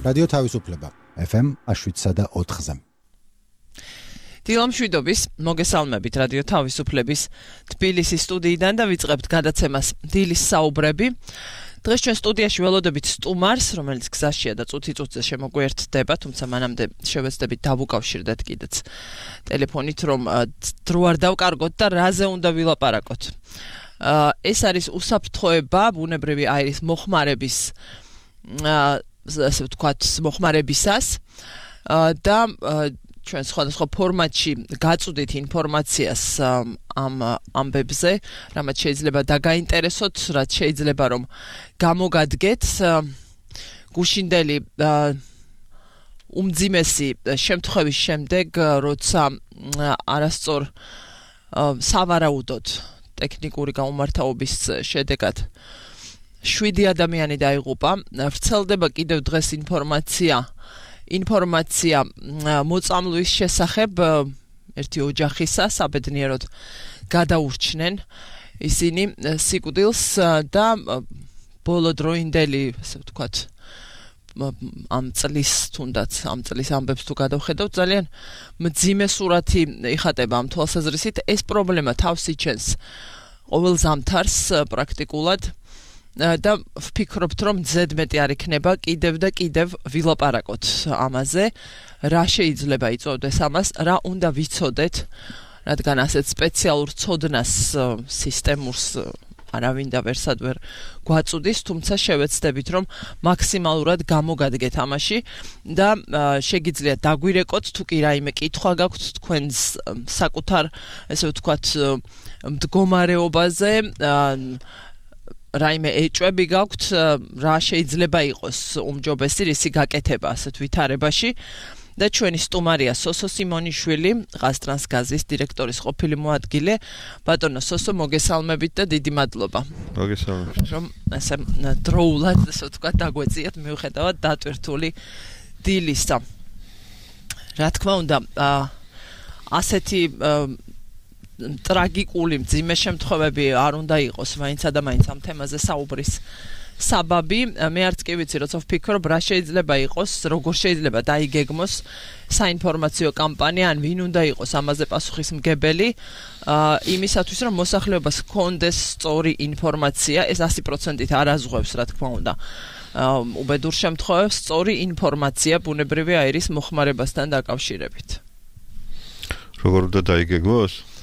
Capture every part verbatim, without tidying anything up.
რადიო თავისუფლება ეფ ემ შვიდსა და ოთხზე. დილამშვიდობის, მოგესალმებით რადიო თავისუფლების თბილისის სტუდიიდან და ვიწყებთ გადაცემას დილის საუბრები. დღეს ჩვენ სტუდიაში ველოდებით სტუმარს, რომელიც გზაშია და წუთი-წუთზე შემოგვერდება, თუმცა მანამდე შევეცდებით დავუკავშირდეთ კიდეც ტელეფონით, რომ დრო არ დავკარგოთ და რაზე უნდა ვილაპარაკოთ. ეს არის უსაფრთხოება ბუნებრივი აირის მოხმარების ასე ვთქვათ, მოხმარებისას და ჩვენ სხვადასხვა ფორმატში გაწვდით ინფორმაციას ამ ამბებზე, რამაც შეიძლება დაგაინტერესოთ, რაც შეიძლება რომ გამოგადგეთ. გუშინდელი უმძიმესი შემთხვევის შემდეგ, როცა არასწორ სავარაუდოდ ტექნიკური გაუმართავობის შედეგად შვიდი ადამიანი დაიღუპა, ვრცელდება კიდევ დღეს ინფორმაცია ინფორმაცია მოწამვლის შესახებ ერთი ოჯახისა, საბედნიეროდ გადაურჩნენ ისინი სიკვდილს და ბოლოდროინდელი, ასე ვთქვათ, ამ წლის თუნდაც ამ წლის ამბებს თუ გადავხედავთ, ძალიან მძიმე სურათი იხატება ამ თვალსაზრისით. ეს პრობლემა თავს იჩენს ყოველ ზამთარს პრაქტიკულად და ვფიქრობთ, რომ ზედმეტი არ იქნება კიდევ და კიდევ ვილაპარაკოთ ამაზე, რა შეიძლება იწვევდეს ამას, რა უნდა ვიცოდეთ, რადგან ასეთ სპეციალურ ცოდნას სისტემურს არავინ და ვერსად ვერ გვაწუდის, თუმცა შევეცდებით, რომ მაქსიმალურად გამოგადგეთ ამაში და შეგიძლიათ დაგვირეკოთ, თუ კი რაიმე კითხვა გაქვთ თქვენს საკუთარ, ესე ვთქვათ, მდგომარეობაზე, რაიმე ეჭვები გაქვთ, რა შეიძლება იყოს უმჯობესი რისი გაკეთება ასეთ ვითარებაში და ჩვენი სტუმარია სოსო სიმონიშვილი, ყაზტრანსგაზის დირექტორის ყოფილი მოადგილე. ბატონო სოსო, მოგესალმებით და დიდი მადლობა. მოგესალმებით. რომ ასე დროულად, ასე ვთქვათ, დაგვეციათ მიუხედავად დატვირთული დილისა. რა თქმა უნდა, ასეთი ტრაგიკული მძიმე შემთხვევები არ უნდა იყოს მაინცა და მაინც ამ თემაზე საუბრის საბაბი. მე არც კი ვიცი, როცა ვფიქრობ, რა შეიძლება იყოს, როგორ შეიძლება დაიგეგმოს საინფორმაციო კამპანია, ან ვინ უნდა იყოს ამაზე პასუხისმგებელი, იმისათვის, რომ მოსახლეობას ჰქონდეს სწორი ინფორმაცია. ეს ასი პროცენტით არ აზღვევს, რა თქმა უნდა, უბედურ შემთხვევებს, სწორი ინფორმაცია ბუნებრივი აირის მოხმარებასთან დაკავშირებით. როგორ უნდა დაიგეგმოს?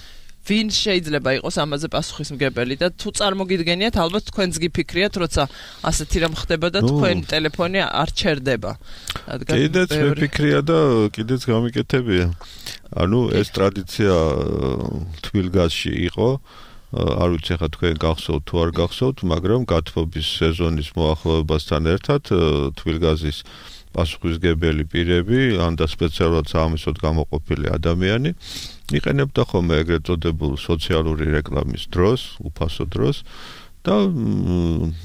ვინ შეიძლება იყოს ამაზე პასუხისმგებელი და თუ წარმოგიდგენიათ, ალბათ თქვენს გიფიქრიათ, როცა ასეთი რამ ხდება და თქვენ ტელეფონი არ ჩერდება. კიდეც მეფიქრია და კიდეც გამიკეთებია. ანუ ეს ტრადიცია თბილგაზში იყო, არ ვიცი ხა თქვენ გახსოვთ თუ არ გახსოვთ, მაგრამ გათბობის სეზონის მოახლოებასთან ერთად თბილგაზის პასუხისმგებელი პირები, ან და სპეციალურად საამისოდ გამოყოფილი ადამიანი იყენებდა ხოლმე ეგრეთ წოდებულ სოციალური რეკლამის დროს, უფასო დროს და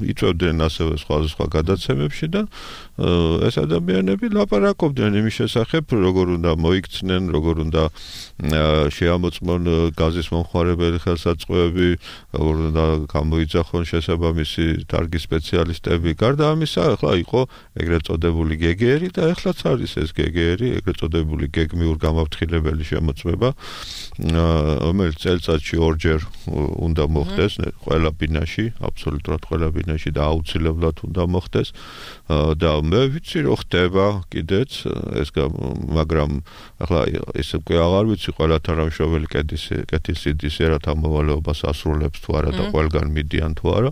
იწვევდნენ ასევე სხვადასხვა გადაცემებში და ეს ადამიანები ლაპარაკობდნენ იმის შესახებ, როგორ უნდა მოიქცნენ, როგორ უნდა შეამოწმონ გაზის მომხმარებელი ხელსაწყოები, როგორ უნდა გამოიძახონ შესაბამისი დარგის სპეციალისტები. გარდა ამისა, ახლა იყო ეგრეთ წოდებული გე გე ერი და ახლაც არის ეს გე გე ერი, ეგრეთ წოდებული გეგმიურ გამაფრთხილებელი შემოწმება, რომელიც წელიწადში ორჯერ უნდა მოხდეს ყველა ბინაში, აბსოლუტურად ყველა ბინაში და აუცილებლად უნდა მოხდეს და მე ვიცი რომ ხდება კიდეც ეს, მაგრამ ახლა ეს უკვე აღარ ვიცი ყველა თანამშრომელი კეთის კეთილსიდის ერათა მოვალეობას ასრულებს თუ არა და ყველგან მიდიან თუ არა.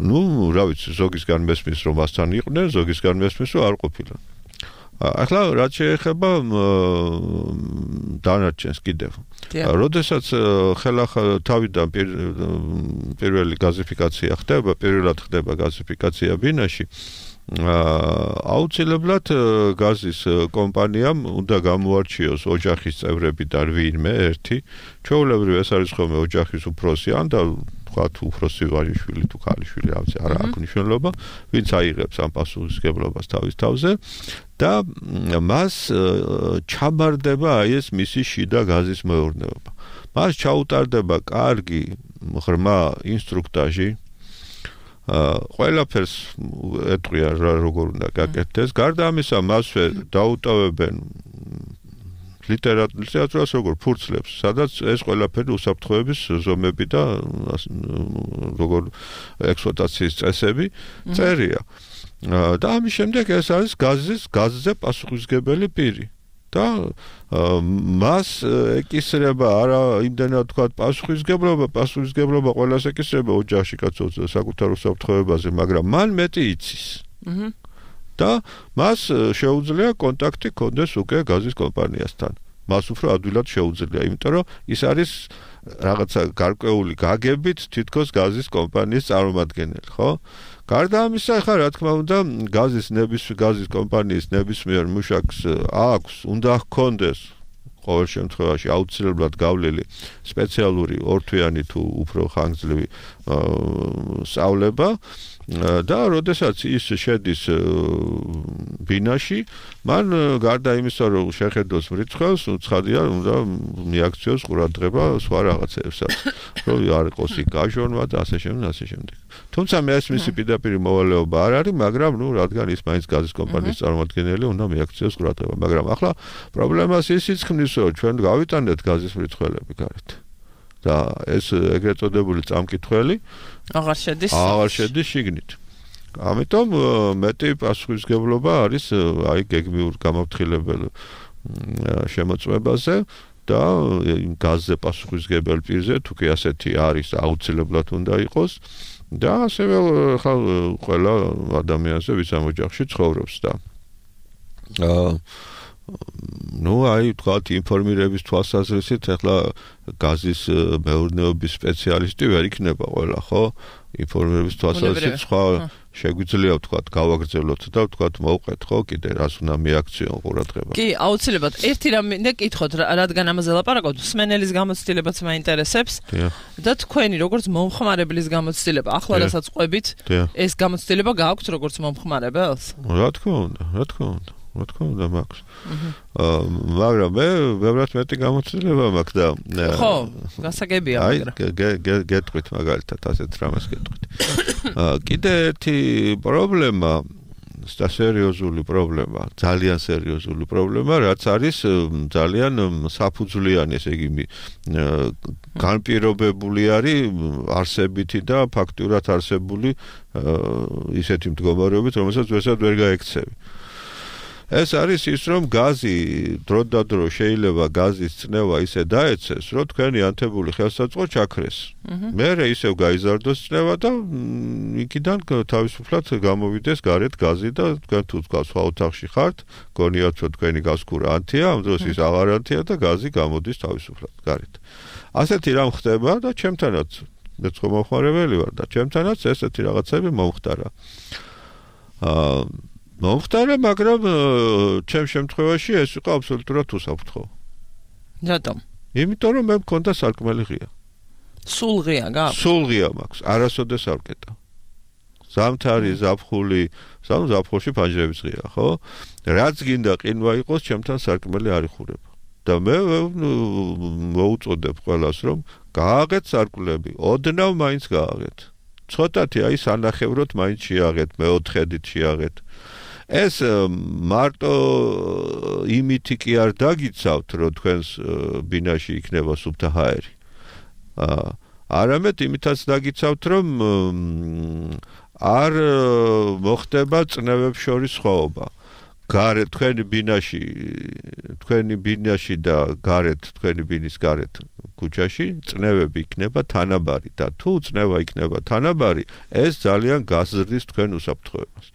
ნუ რა ვიცი, ზოგისგან მესმის რომ მასთან იყვნენ, ზოგისგან მესმის რომ არ ყოფილან. ახლა რაც შეეხება დანარჩენს კიდევ. როდესაც ხელახლა თავიდან პირველი გაზიფიკაცია ხდება, პირველად ხდება გაზიფიკაცია ბინაში, აუცილებლად გაზის კომპანიამ უნდა გამოარჩიოს ოჯახის წევრებიდან ვინმე ერთი, ჩვეულებრივ ეს არის ხოლმე ოჯახის უფროსი, ან და ვთქვათ უფროსი ვაჟიშვილი თუ ქალიშვილი, ავცი არა აქვს მნიშვნელობა, ვინც აიღებს ამ პასუხისმგებლობას თავის თავზე და მას ჩაბარდება აი ეს მისი შიდა გაზის მეურნეობა. მას ჩაუტარდება კარგი ღრმა ინსტრუქტაჟი, ყველაფერს ეტყვია რა როგორ უნდა გაკეთდეს. გარდა ამისა, მასვე დაუტოვებენ ლიტერატურას როგორ ფურცლებს, სადაც ეს ყველაფერი უსაფრთხოების ზომები და როგორ ექსპლუატაციის წესები წერია. და ამის შემდეგ ეს არის გაზის გაზზე პასუხისმგებელი პირი. და მას ეკისრება არა იმდენად თქვა პასუხისმგებლობა, პასუხისმგებლობა ყველას ეკისრება ოჯახში კაცოც საკუთარ უსაფრთხოებაზე, მაგრამ მან მეტი იცის. და მას შეუძლია კონტაქტი კონდეს უკვე გაზის კომპანიასთან. მას უფრო ადვილად შეუძლია, იმიტომ რომ ის არის რაღაცა გარკვეული გაგებით თითქოს გაზის კომპანიის წარმომადგენელი, ხო? გარდა ამისა, ხა რა თქმა უნდა, გაზის ნების გაზის კომპანიის ნებისმიერ მუშაკს აქვს, უნდა ჰქონდეს ყოველ შემთხვევაში აუცილებლად გავლილი სპეციალური ორთვიანი თუ უფრო ხანგრძლივი სწავლება და როდესაც ის შედის ბინაში, მან გარდა იმისა, რომ შეხედოს მრიცხველს, ცხადია, უნდა მიაქციოს ყურადღება სხვა რაღაცებსაც, რომ არ იყოს იქ გაჟონვა და ასე შემდეგ, ასე შემდეგ. თუმცა მე ეს მისი პირდაპირი მოვალეობა არ არის, მაგრამ ნუ რადგან ის მაინც გაზის კომპანიის წარმომადგენელი, უნდა მიაქციოს ყურადღება. მაგრამ ახლა პრობლემას ისიც ხმის, რომ ჩვენ გავიტანეთ გაზის მრიცხველები გარეთ. და ეს ეგრეთ წოდებული წამკითხველი აღარ შედის აღარ შედის შიგნით. ამიტომ მეტი პასუხისმგებლობა არის აი გეგმიურ გამაფრთხილებელ შემოწმებაზე და გაზზე პასუხისმგებელ პირზე თუ კი ასეთი არის აუცილებლად უნდა იყოს და ასევე ხა ყველა ადამიანზე ვის ამ ოჯახში ცხოვრობს და აა ну, აი, თქვათ, ინფორმირების თვალსაზრისით, ახლა გაზის მეურნეობის სპეციალისტი ვერ იქნება ყველა, ხო? ინფორმირების თვალსაზრისით სხვა შეგვიძლია ვთქვათ, გავაგრძელოთ და ვთქვათ, მოვყეთ, ხო? კიდე რას უნდა მიაქციონ ყურადღება. კი, აუცილებლად. ერთი რამ მინდა კითხოთ, რადგან ამაზე ლაპარაკობთ, მსმენელის გამოცდილებაც მაინტერესებს და თქვენი როგორც მომხმარებლის გამოცდილება, ახლა რასაც ყვებით, ეს გამოცდილება გააქვთ როგორც მომხმარებელს? რა თქმა უნდა, რა თქმა უნდა. რა თქმა უნდა მაქვს. აა მაგრამ მე ბევრად მეტი გამოცდილება მაქვს და ხო, გასაგებია მაგრამ. აი, გეტყვით მაგალითად ასეთ რამას გეტყვით. აა კიდე ერთი პრობლემა, და სერიოზული პრობლემა, ძალიან სერიოზული პრობლემა, რაც არის ძალიან საფუძვლიანი, ესე იგი, განპირობებული არის არსებითი და ფაქტურად არსებული ისეთი მდგომარეობით, რომელსაც ვესაც ვერ გაექცევი. ეს არის ის, რომ გაზი დროდადრო შეიძლება გაზის წნევა ისე დაეცეს, რომ თქვენი ანთებული ხელსაწყო ჩაქრეს. მერე ისევ გაიზარდოს წნევა და იქიდან თავისუფლად გამოვიდეს გარეთ გაზი და თქვენ თუ თქვა სხვა ოთახში ხართ, გონიათ რომ თქვენი გასკურა ანთია, ამ დროს ის აღარ ანთია და გაზი გამოდის თავისუფლად გარეთ. ასეთი რამ ხდება და ჩემთანაც მეც ხომ მომხმარებელი ვარ და ჩემთანაც ესეთი რაღაცები მომხდარა. აა მომხდარა, მაგრამ ჩემ შემთხვევაში ეს იყო აბსოლუტურად უსაფრთხო. რატომ? იმიტომ რომ მე მქონდა სარკმელი ღია. სულ ღია გაქვს? სულ ღია მაქვს, არასოდეს არ ვკეტა. ზამთარი, ზაფხული, სამ ზაფხულში ფანჯრების ღია, ხო? რაც გინდა ყინვა იყოს, ჩემთან სარკმელი არ იხურება. და მე მოუწოდებ ყველას, რომ გააღეთ სარკმლები, ოდნავ მაინც გააღეთ. ცოტათი აი სანახევროდ მაინც შეაღეთ, მეოთხედით შეაღეთ. ეს მარტო იმითი კი არ დაგიცავთ, რომ თქვენს ბინაში იქნება სუფთა ჰაერი. არამედ იმითაც დაგიცავთ, რომ არ მოხდება წნევებს შორის სხვაობა. გარეთ თქვენი ბინაში, თქვენი ბინაში და გარეთ, თქვენი ბინის გარეთ ქუჩაში წნევები იქნება თანაბარი და თუ წნევა იქნება თანაბარი, ეს ძალიან გაზრდის თქვენ უსაფრთხოებას.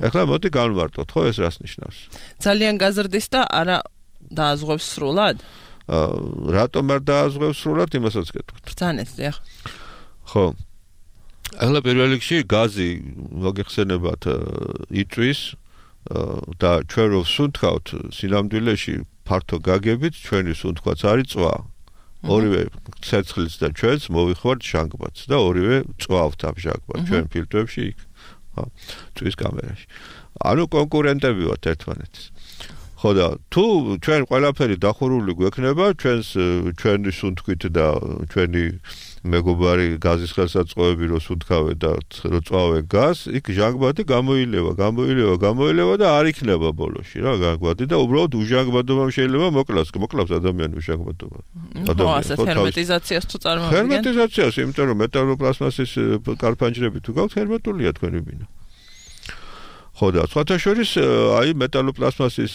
ეხლა მოდი განვარტოთ, ხო ეს რას ნიშნავს? ძალიან გაზრდის და არა დააზღვევს სრულად? აა რატომ არ დააზღვევს სრულად, იმასაც გეტყვით. ბრძანეთ, დიახ. ხო. ეხლა პირველ რიგში გაზი მოგეხსენებათ იწვის და ჩვენ რო ვსუნთქავთ სინამდვილეში ფართო გაგებით, ჩვენი სუნთქვაც არის წვა. ორივე ცეცხლიც და ჩვენც მოვიხوارთ ჟანგბადს და ორივე წვავთ ამ ჟანგბადს ჩვენ ფილტრებში იქ. ხო, წვის კამერაში. ანუ კონკურენტები ვართ ერთმანეთის. ხო და თუ ჩვენ ყველაფერი დახურული გვექნება ჩვენს ჩვენი სუნთქვით და ჩვენი მეგობარი გაზის ხელსაწყოები რო სუდგავენ და რო წვავენ გაზს, იქ ჟანგბადი გამოილევა, გამოილევა, გამოილევა და არ იქნება ბოლოში რა ჟანგბადი და უბრალოდ უჟანგბადობამ შეიძლება მოკლას, მოკლავს ადამიანი უჟანგბადობა. ადამიანი ხო ჰერმეტიზაციას თუ წარმოვიდგენ? ჰერმეტიზაციას, იმიტომ რომ მეტალოპლასმასის კარფანჯრები თუ გაქვთ ჰერმეტულია თქვენი ბინა. ხო და სხვათა შორის აი მეტალოპლასმასის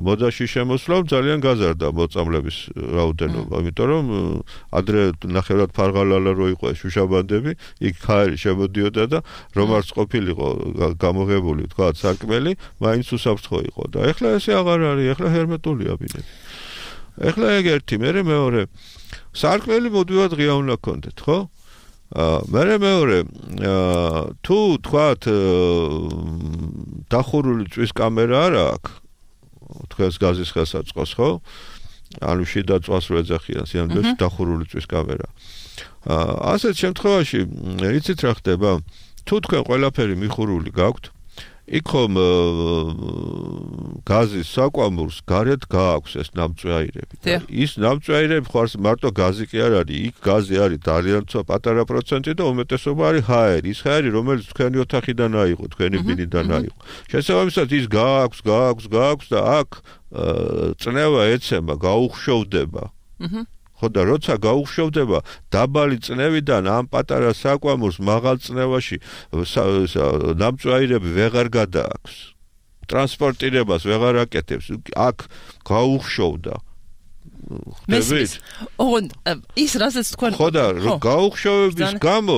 მოდაში შემოსვლამ ძალიან გაზარდა მოწამლების რაოდენობა, იმიტომ რომ ადრე ნახევრად ფარღალალა რო იყო შუშაბანდები, იქ ხარი შემოდიოდა და რომ არც ყოფილიყო გამოღებული თქვა სარკმელი, მაინც უსაფრთხო იყო და ეხლა ესე აღარ არის, ეხლა ჰერმეტულია ბინები. ეხლა ეგ ერთი, მერე მეორე. სარკმელი მოდივად ღია უნდა გქონდეთ, ხო? მერე მეორე თუ თქვათ დახურული წვის კამერა არ აქვს თქვენს გაზის ხელსაწყოს ხო ანუ შიდა წვას რო ეძახიან სიამოვნებაში დახურული წვის კამერა ასეთ შემთხვევაში იცით რა ხდება თუ თქვენ ყველაფერი მიხურული გაქვთ იქ ხომ გაზის საკვამურს გარეთ გააქვს ეს ნამწვეაირები. ის ნამწვეაირები ხო არის მარტო გაზი კი არ არის, იქ გაზი არის ძალიან პატარა პროცენტი და უმეტესობა არის ჰაერი. ის ჰაერი რომელიც თქვენი ოთახიდან აიღო, თქვენი ბინიდან აიღო. შესაბამისად ის გააქვს, გააქვს, გააქვს და აქ წნევა ეცემა, გაუხშოვდება. ხო და როცა გაუხშოვდება დაბალი წნევიდან ამ პატარა საკვამურს მაღალ წნევაში ნამწვეაირები ვეღარ გადააქვს. ტრანსპორტირებას ვეღარ აკეთებს. აქ გაუხშოვდა. მესმის. ოღონდ ის რასაც თქვენ ხო და გაუხშოვების გამო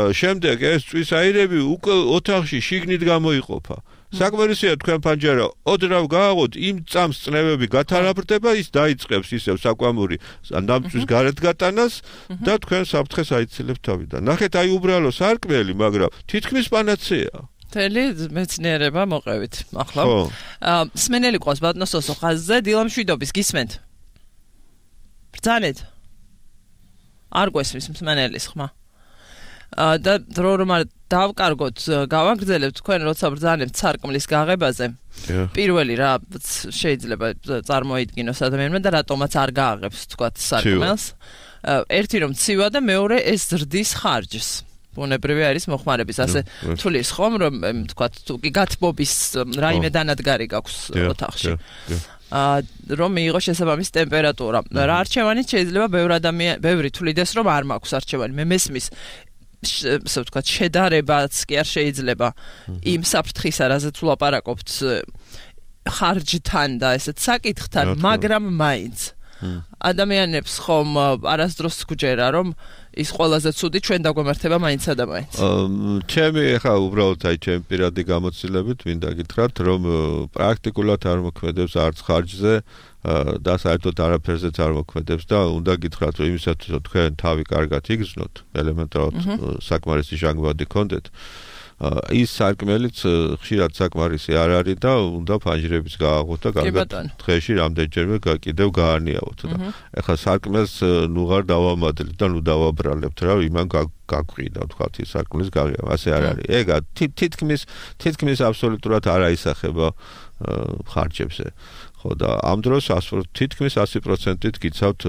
შემდეგ ეს წვის აირები უკვე ოთახში შიგნით გამოიყოფა. საკმარისია თქვენ ფანჯარა ოდრავ გააღოთ იმ წამს წნევები გათარაბრდება ის დაიწყებს ისევ საკვამური ნამწვის გარეთ გატანას და თქვენ საფრთხეს აიცილებთ თავიდან. ნახეთ აი უბრალო სარკმელი, მაგრამ თითქმის პანაცეა. თელი მეცნიერება მოყევით ახლა. სმენელი ყავს ბატონოსო ხაზზე დილამშვიდობის გისმენთ. ბრძანეთ. არ გვესმის მსმენელის ხმა. და დრო რომ არ დავკარგოთ, გავაგრძელებთ თქვენ როცა ბრძანებთ სარკმლის გაღებაზე. პირველი რა შეიძლება წარმოიდგინოს ადამიანმა და რატომაც არ გააღებს თქვათ სარკმელს. ერთი რომ ცივა და მეორე ეს ზრდის ხარჯს. ბუნებრივი არის მოხმარების ასე თulis ხომ რომ თქვათ თუ კი გათბობის რაიმე დანადგარი გაქვს ოთახში. რომ მიიღო შესაბამის ტემპერატურა. რა არჩევანით შეიძლება ბევრი ადამიანი, ბევრი თulides რომ არ მაქვს არჩევანი. მე მესმის ასე ვთქვათ, შედარებაც კი არ შეიძლება იმ საფრთხისა, რაზეც ვლაპარაკობთ ხარჯთან და ესეთ საკითხთან, მაგრამ მაინც ადამიანებს ხომ არასდროს გჯერა, რომ ის ყველაზე ცუდი ჩვენ დაგვემართება მაინც და მაინც. ჩემი ახლა უბრალოდ აი ჩემი პირადი გამოცდილებით მინდა გითხრათ, რომ პრაქტიკულად არ მოქმედებს არც ხარჯზე და საერთოდ არაფერზეც არ მოქმედებს და უნდა გითხრათ, რომ იმისათვის რომ თქვენ თავი კარგად იგრძნოთ, ელემენტარულად საკმარისი ჟანგბადი გქონდეთ, ის სარკმელიც ხშირად საკმარისი არ არის და უნდა ფანჯრების გააღოთ და კარგად დღეში რამდენჯერმე კიდევ გაანიავოთ და ეხლა სარკმელს ნუ ღარ დავამადლით და ნუ დავაბრალებთ რა იმან გაგვყიდა თქვათ ის სარკმლის გაღება ასე არ არის ეგა თითქმის თითქმის აბსოლუტურად არ აისახება ხარჯებზე ხო და ამ დროს თითქმის ასი პროცენტით გიცავთ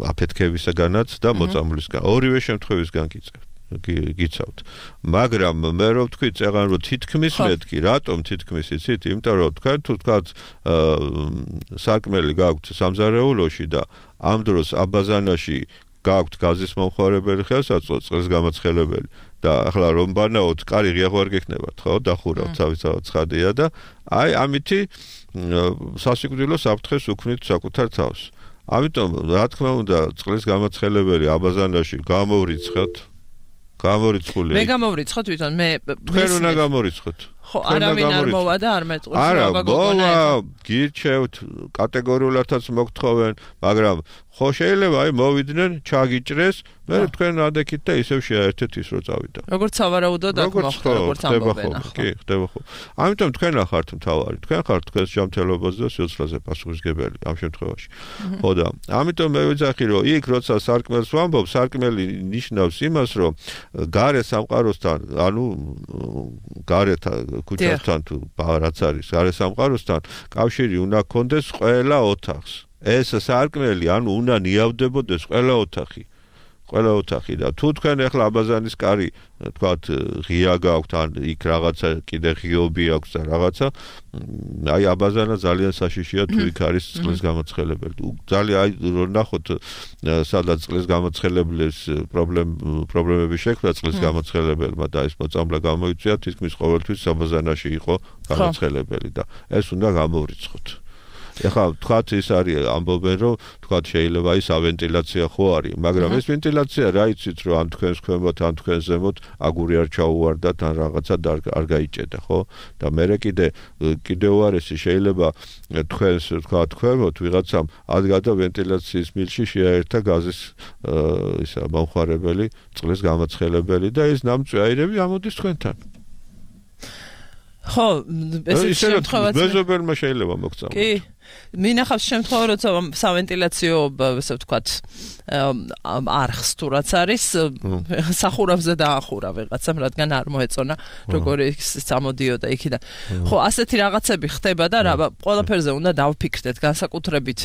აფეთქებისგანაც და მოწამვლისგან ორივე შემთხვევისგან გიწევთ გიცავთ. მაგრამ მე რო ვთქვი წეღან რომ თითქმის მეთქი, რატომ თითქმის იცით? იმიტომ რომ თქვენ თუ თქვათ სარკმელი გაქვთ სამზარეულოში და ამ დროს აბაზანაში გაქვთ გაზის მომხმარებელი ხელსაწყო, წყლის გამაცხელებელი და ახლა რომ ბანაოთ, კარი ღია ხوار გექნებათ, ხო? დახურავთ, თავისთავად ცხადია და აი ამითი სასიკვდილო საფრთხეს უქმნით საკუთარ თავს. ამიტომ რა თქმა უნდა, წყლის გამაცხელებელი აბაზანაში გამოვრიცხოთ გამორიცხული. მე გამორიცხოთ თვითონ მე თქვენ უნდა გამორიცხოთ. ხო, არავინ არ მოვა და არ მეტყვის რა გოგონა. არა, გირჩევთ, კატეგორიულადაც მოგთხოვენ, მაგრამ ხო შეიძლება აი მოვიდნენ, ჩაგიჭრეს, მე თქვენ ადექით და ისევ შეაერთეთ ის რო წავიდა. როგორც სავარაუდოდ აქ მოხდა, როგორც ამბობენ ახლა. კი, ხდება ხო. ამიტომ თქვენ ახართ მთავარი, თქვენ ხართ თქვენს ჯანმრთელობაზე და სიცოცხლეზე პასუხისმგებელი ამ შემთხვევაში. ხო და ამიტომ მე ვიძახი რომ იქ როცა სარკმელს ვამბობ, სარკმელი ნიშნავს იმას, რომ გარე სამყაროსთან, ანუ გარეთ ქუჩასთან თუ რაღაც არის, გარე სამყაროსთან კავშირი უნდა გქონდეს ყველა ოთახს. ეს სარკმელი ანუ უნდა ნიავდებოდეს ყველა ოთახი. ყველა ოთახი და თუ თქვენ ახლა აბაზანის კარი თქვათ ღია გაქვთ ან იქ რაღაცა კიდე ღიობი აქვს და რაღაცა აი აბაზანა ძალიან საშიშია თუ იქ არის წყლის გამოცხელებელი. ძალიან აი რომ ნახოთ სადაც წყლის გამოცხელების პრობლემები შექმნა წყლის გამოცხელებელმა და ეს მოწამლა გამოიწვია თითქმის ყოველთვის აბაზანაში იყო გამოცხელებელი და ეს უნდა გამოვრიცხოთ. ეხლა თქვათ ის არის ამბობენ რომ თქვათ შეიძლება ის ავენტილაცია ხო არის მაგრამ ეს ვენტილაცია რა იცით რომ ან თქვენს ქვემოთ ან თქვენს ზემოთ აგური არ ჩაუვარდათ ან რაღაცა არ გაიჭედა ხო და მე კიდე კიდე უარესი შეიძლება თქვენს თქვათ ქვემოთ ვიღაცამ ადგადა ვენტილაციის მილში შეაერთა გაზის ისა მომხმარებელი წყლის გამოცხელებელი და ეს ნამწვაირები ამოდის თქვენთან ხო ეს შემთხვევაში მეზობელმა შეიძლება მოგწამოთ კი მინახავს შემთხვევა როცა სავენტილაციო ასე ვთქვათ არხს თუ რაც არის სახურავზე დაახურა ვიღაცამ რადგან არ მოეწონა როგორი წამოდიოდა იქიდან ხო ასეთი რაღაცები ხდება და რა ყველაფერზე უნდა დავფიქრდეთ განსაკუთრებით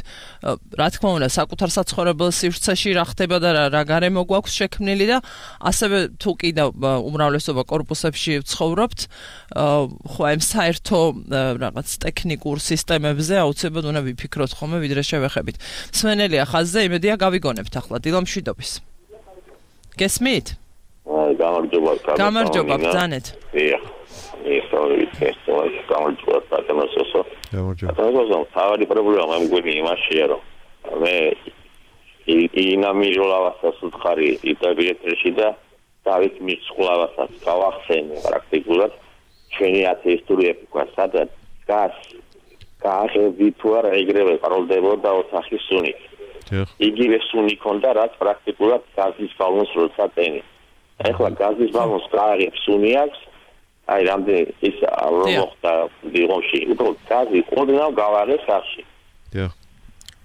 რა თქმა უნდა საკუთარ საცხოვრებელ სივრცეში რა ხდება და რა გარემო გვაქვს შექმნილი და ასევე თუ კიდევ უმრავლესობა კორპუსებში ვცხოვრობთ ხო ამ საერთო რაღაც ტექნიკურ სისტემებზე აუცილებლად უნდა ვიფიქროთ ხოლმე ვიდრე შევეხებით. სვენელია ხაზზე, იმედია გავიგონებთ ახლა დილამშვიდობის. გესმით? აი, გამარჯობა, კარგი. გამარჯობა, ბრძანეთ. დიახ. ეს ორი თესტოა, გამარჯობა, პატემოსო. გამარჯობა. პატემოსო, თავი პრობლემა მგონი იმაშია, რომ მე ინამიჟოლავასაც ვხარი იტაბიეთში და დავით მიცხოვლავასაც გავახსენე პრაქტიკულად ჩვენი ათეისტური ეპოქა, სადაც გას გაახევი თუ არა ეგრევე პაროლდებოდა ოთახი სუნი. იგივე სუნი ქონდა რაც პრაქტიკულად გაზის ბალონს როცა ტენი. ეხლა გაზის ბალონს გააღებს სუნი აქვს. აი რამდენი ის რომ მოხდა დიღომში, უბრალოდ გაზი ოდნავ გავაღეს სახში. დიახ.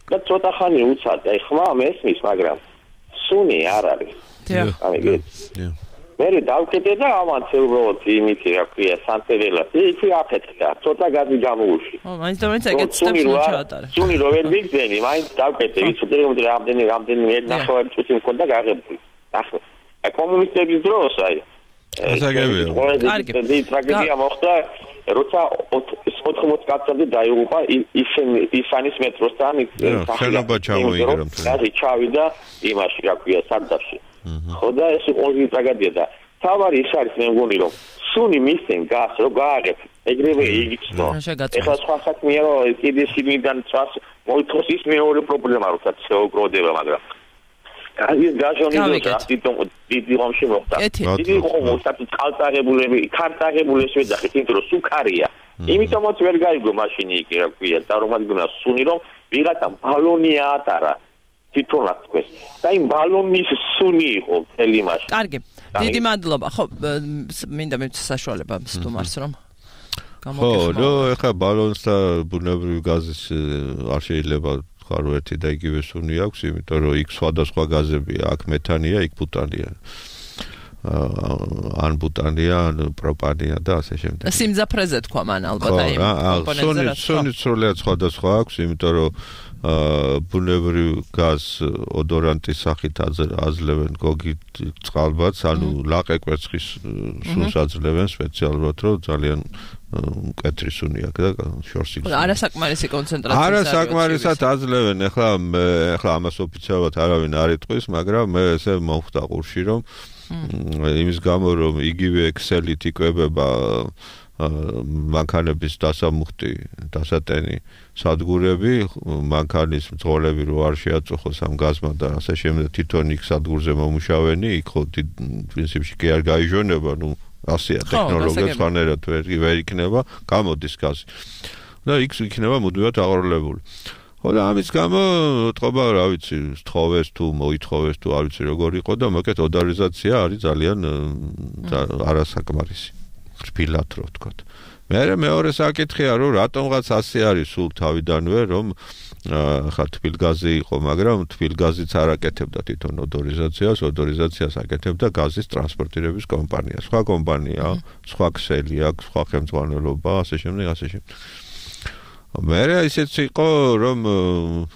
და ცოტა ხანი უცად, აი ხმა მესმის, მაგრამ სუნი არ არის. დიახ. დიახ. მე დავკეთე და ამაც უბრალოდ იმითი რა ქვია სანტეველა იქი აფეთქდა ცოტა გაზი გამოუში ო მაინც და მაინც ეგეთ სტეპს მოჩაატარე სუნი რო ვერ მიგზენი მაინც დავკეთე ვიცოდი რომ რამდენი რამდენი მე ნახევარი წუთი მქონდა გაღებული ახლა აი კომუნისტების დროს აი ასაგებია კარგი ტრაგედია მოხდა როცა ოთხმოცი კაცები დაიღუპა ისანის მეტროსთან შენობა ჩამოიგრა გაზი ჩავიდა იმაში რა ქვია სარდაფში ხო და ეს ორი ტრაგედია და თავარი ის არის მე მგონი რომ სუნი მისცენ გას რო გააღებ ეგრევე იგიცნო ეხლა სხვა საქმეა რომ კიდე სიმიდან წას მოითხოვს ის მეორე პრობლემა როცა შეოგროდება მაგრამ გაზის გაჟონი და თვითონ დიდი რომში მოხდა დიდი ხომოსაც კალტაღებულები კარტაღებულებს ვეძახით იმიტომ რომ სუქარია იმიტომაც ვერ გაიგო მაშინი იქ რა ქვია და რომ ადგნა სუნი რომ ვიღაცა ბალონი ატარა თვითონაც თქვენ და იმ ბალონის სუნი იყო მთელი მაშინ კარგი დიდი მადლობა ხო მინდა მეც საშუალება სტუმარს რომ გამოგეხმაო ხო ნუ ეხა ბალონს და ბუნებრივი გაზის არ შეიძლება ხარ ერთი და იგივე სუნი აქვს იმიტომ რომ იქ სხვადასხვა გაზებია აქ მეთანია იქ ბუტანია ან ბუტანია ან პროპანია და ასე შემდეგ სიმძაფრეზე თქვა მან ალბათ აი კომპონენტზე სუნი სრულად სხვადასხვა აქვს იმიტომ რომ ბუნებრივ გაზ ოდორანტის სახით აძლევენ გოგით წყალბადს ანუ ლაყე კვერცხის სუნს აძლევენ სპეციალურად რომ ძალიან მკვეთრი სუნი აქვს და შორს იგზავნა. არასაკმარისი კონცენტრაცია. არასაკმარისად აძლევენ. ეხლა ეხლა ამას ოფიციალურად არავინ არ იტყვის, მაგრამ მე ესე მომხვდა ყურში რომ იმის გამო რომ იგივე ექსელით იკვებება მანქანების დასამუხტი, დასატენი სადგურები, მანქანის მძღოლები რო არ შეაწუხოს ამ გაზმა და ასე შემდეგ თვითონ იქ სადგურზე მომუშავენი, იქ ხო პრინციპში კი არ გაიჟონება, ნუ ასია ტექნოლოგია სხვანაირად ვერ ვერ იქნება, გამოდის გაზი. და იქ იქნება მუდმივად აღროლებული. ხო და ამის გამო თქობა რა ვიცი, სთხოვეს თუ მოითხოვეს თუ არ ვიცი როგორ იყო და მოკეთ ოდარიზაცია არის ძალიან არასაკმარისი. რბილად რო ვთქვათ. მე მეორე საკითხია რომ რატომღაც ასე არის სულ თავიდანვე რომ ხა თბილგაზი იყო, მაგრამ თბილგაზიც არ აკეთებდა თვითონ ოდორიზაციას, ოდორიზაციას აკეთებდა გაზის ტრანსპორტირების კომპანია. სხვა კომპანია, სხვა ქსელი აქვს, სხვა ხელმძღვანელობა, ასე შემდეგ, ასე შემდეგ. მე ისეც იყო რომ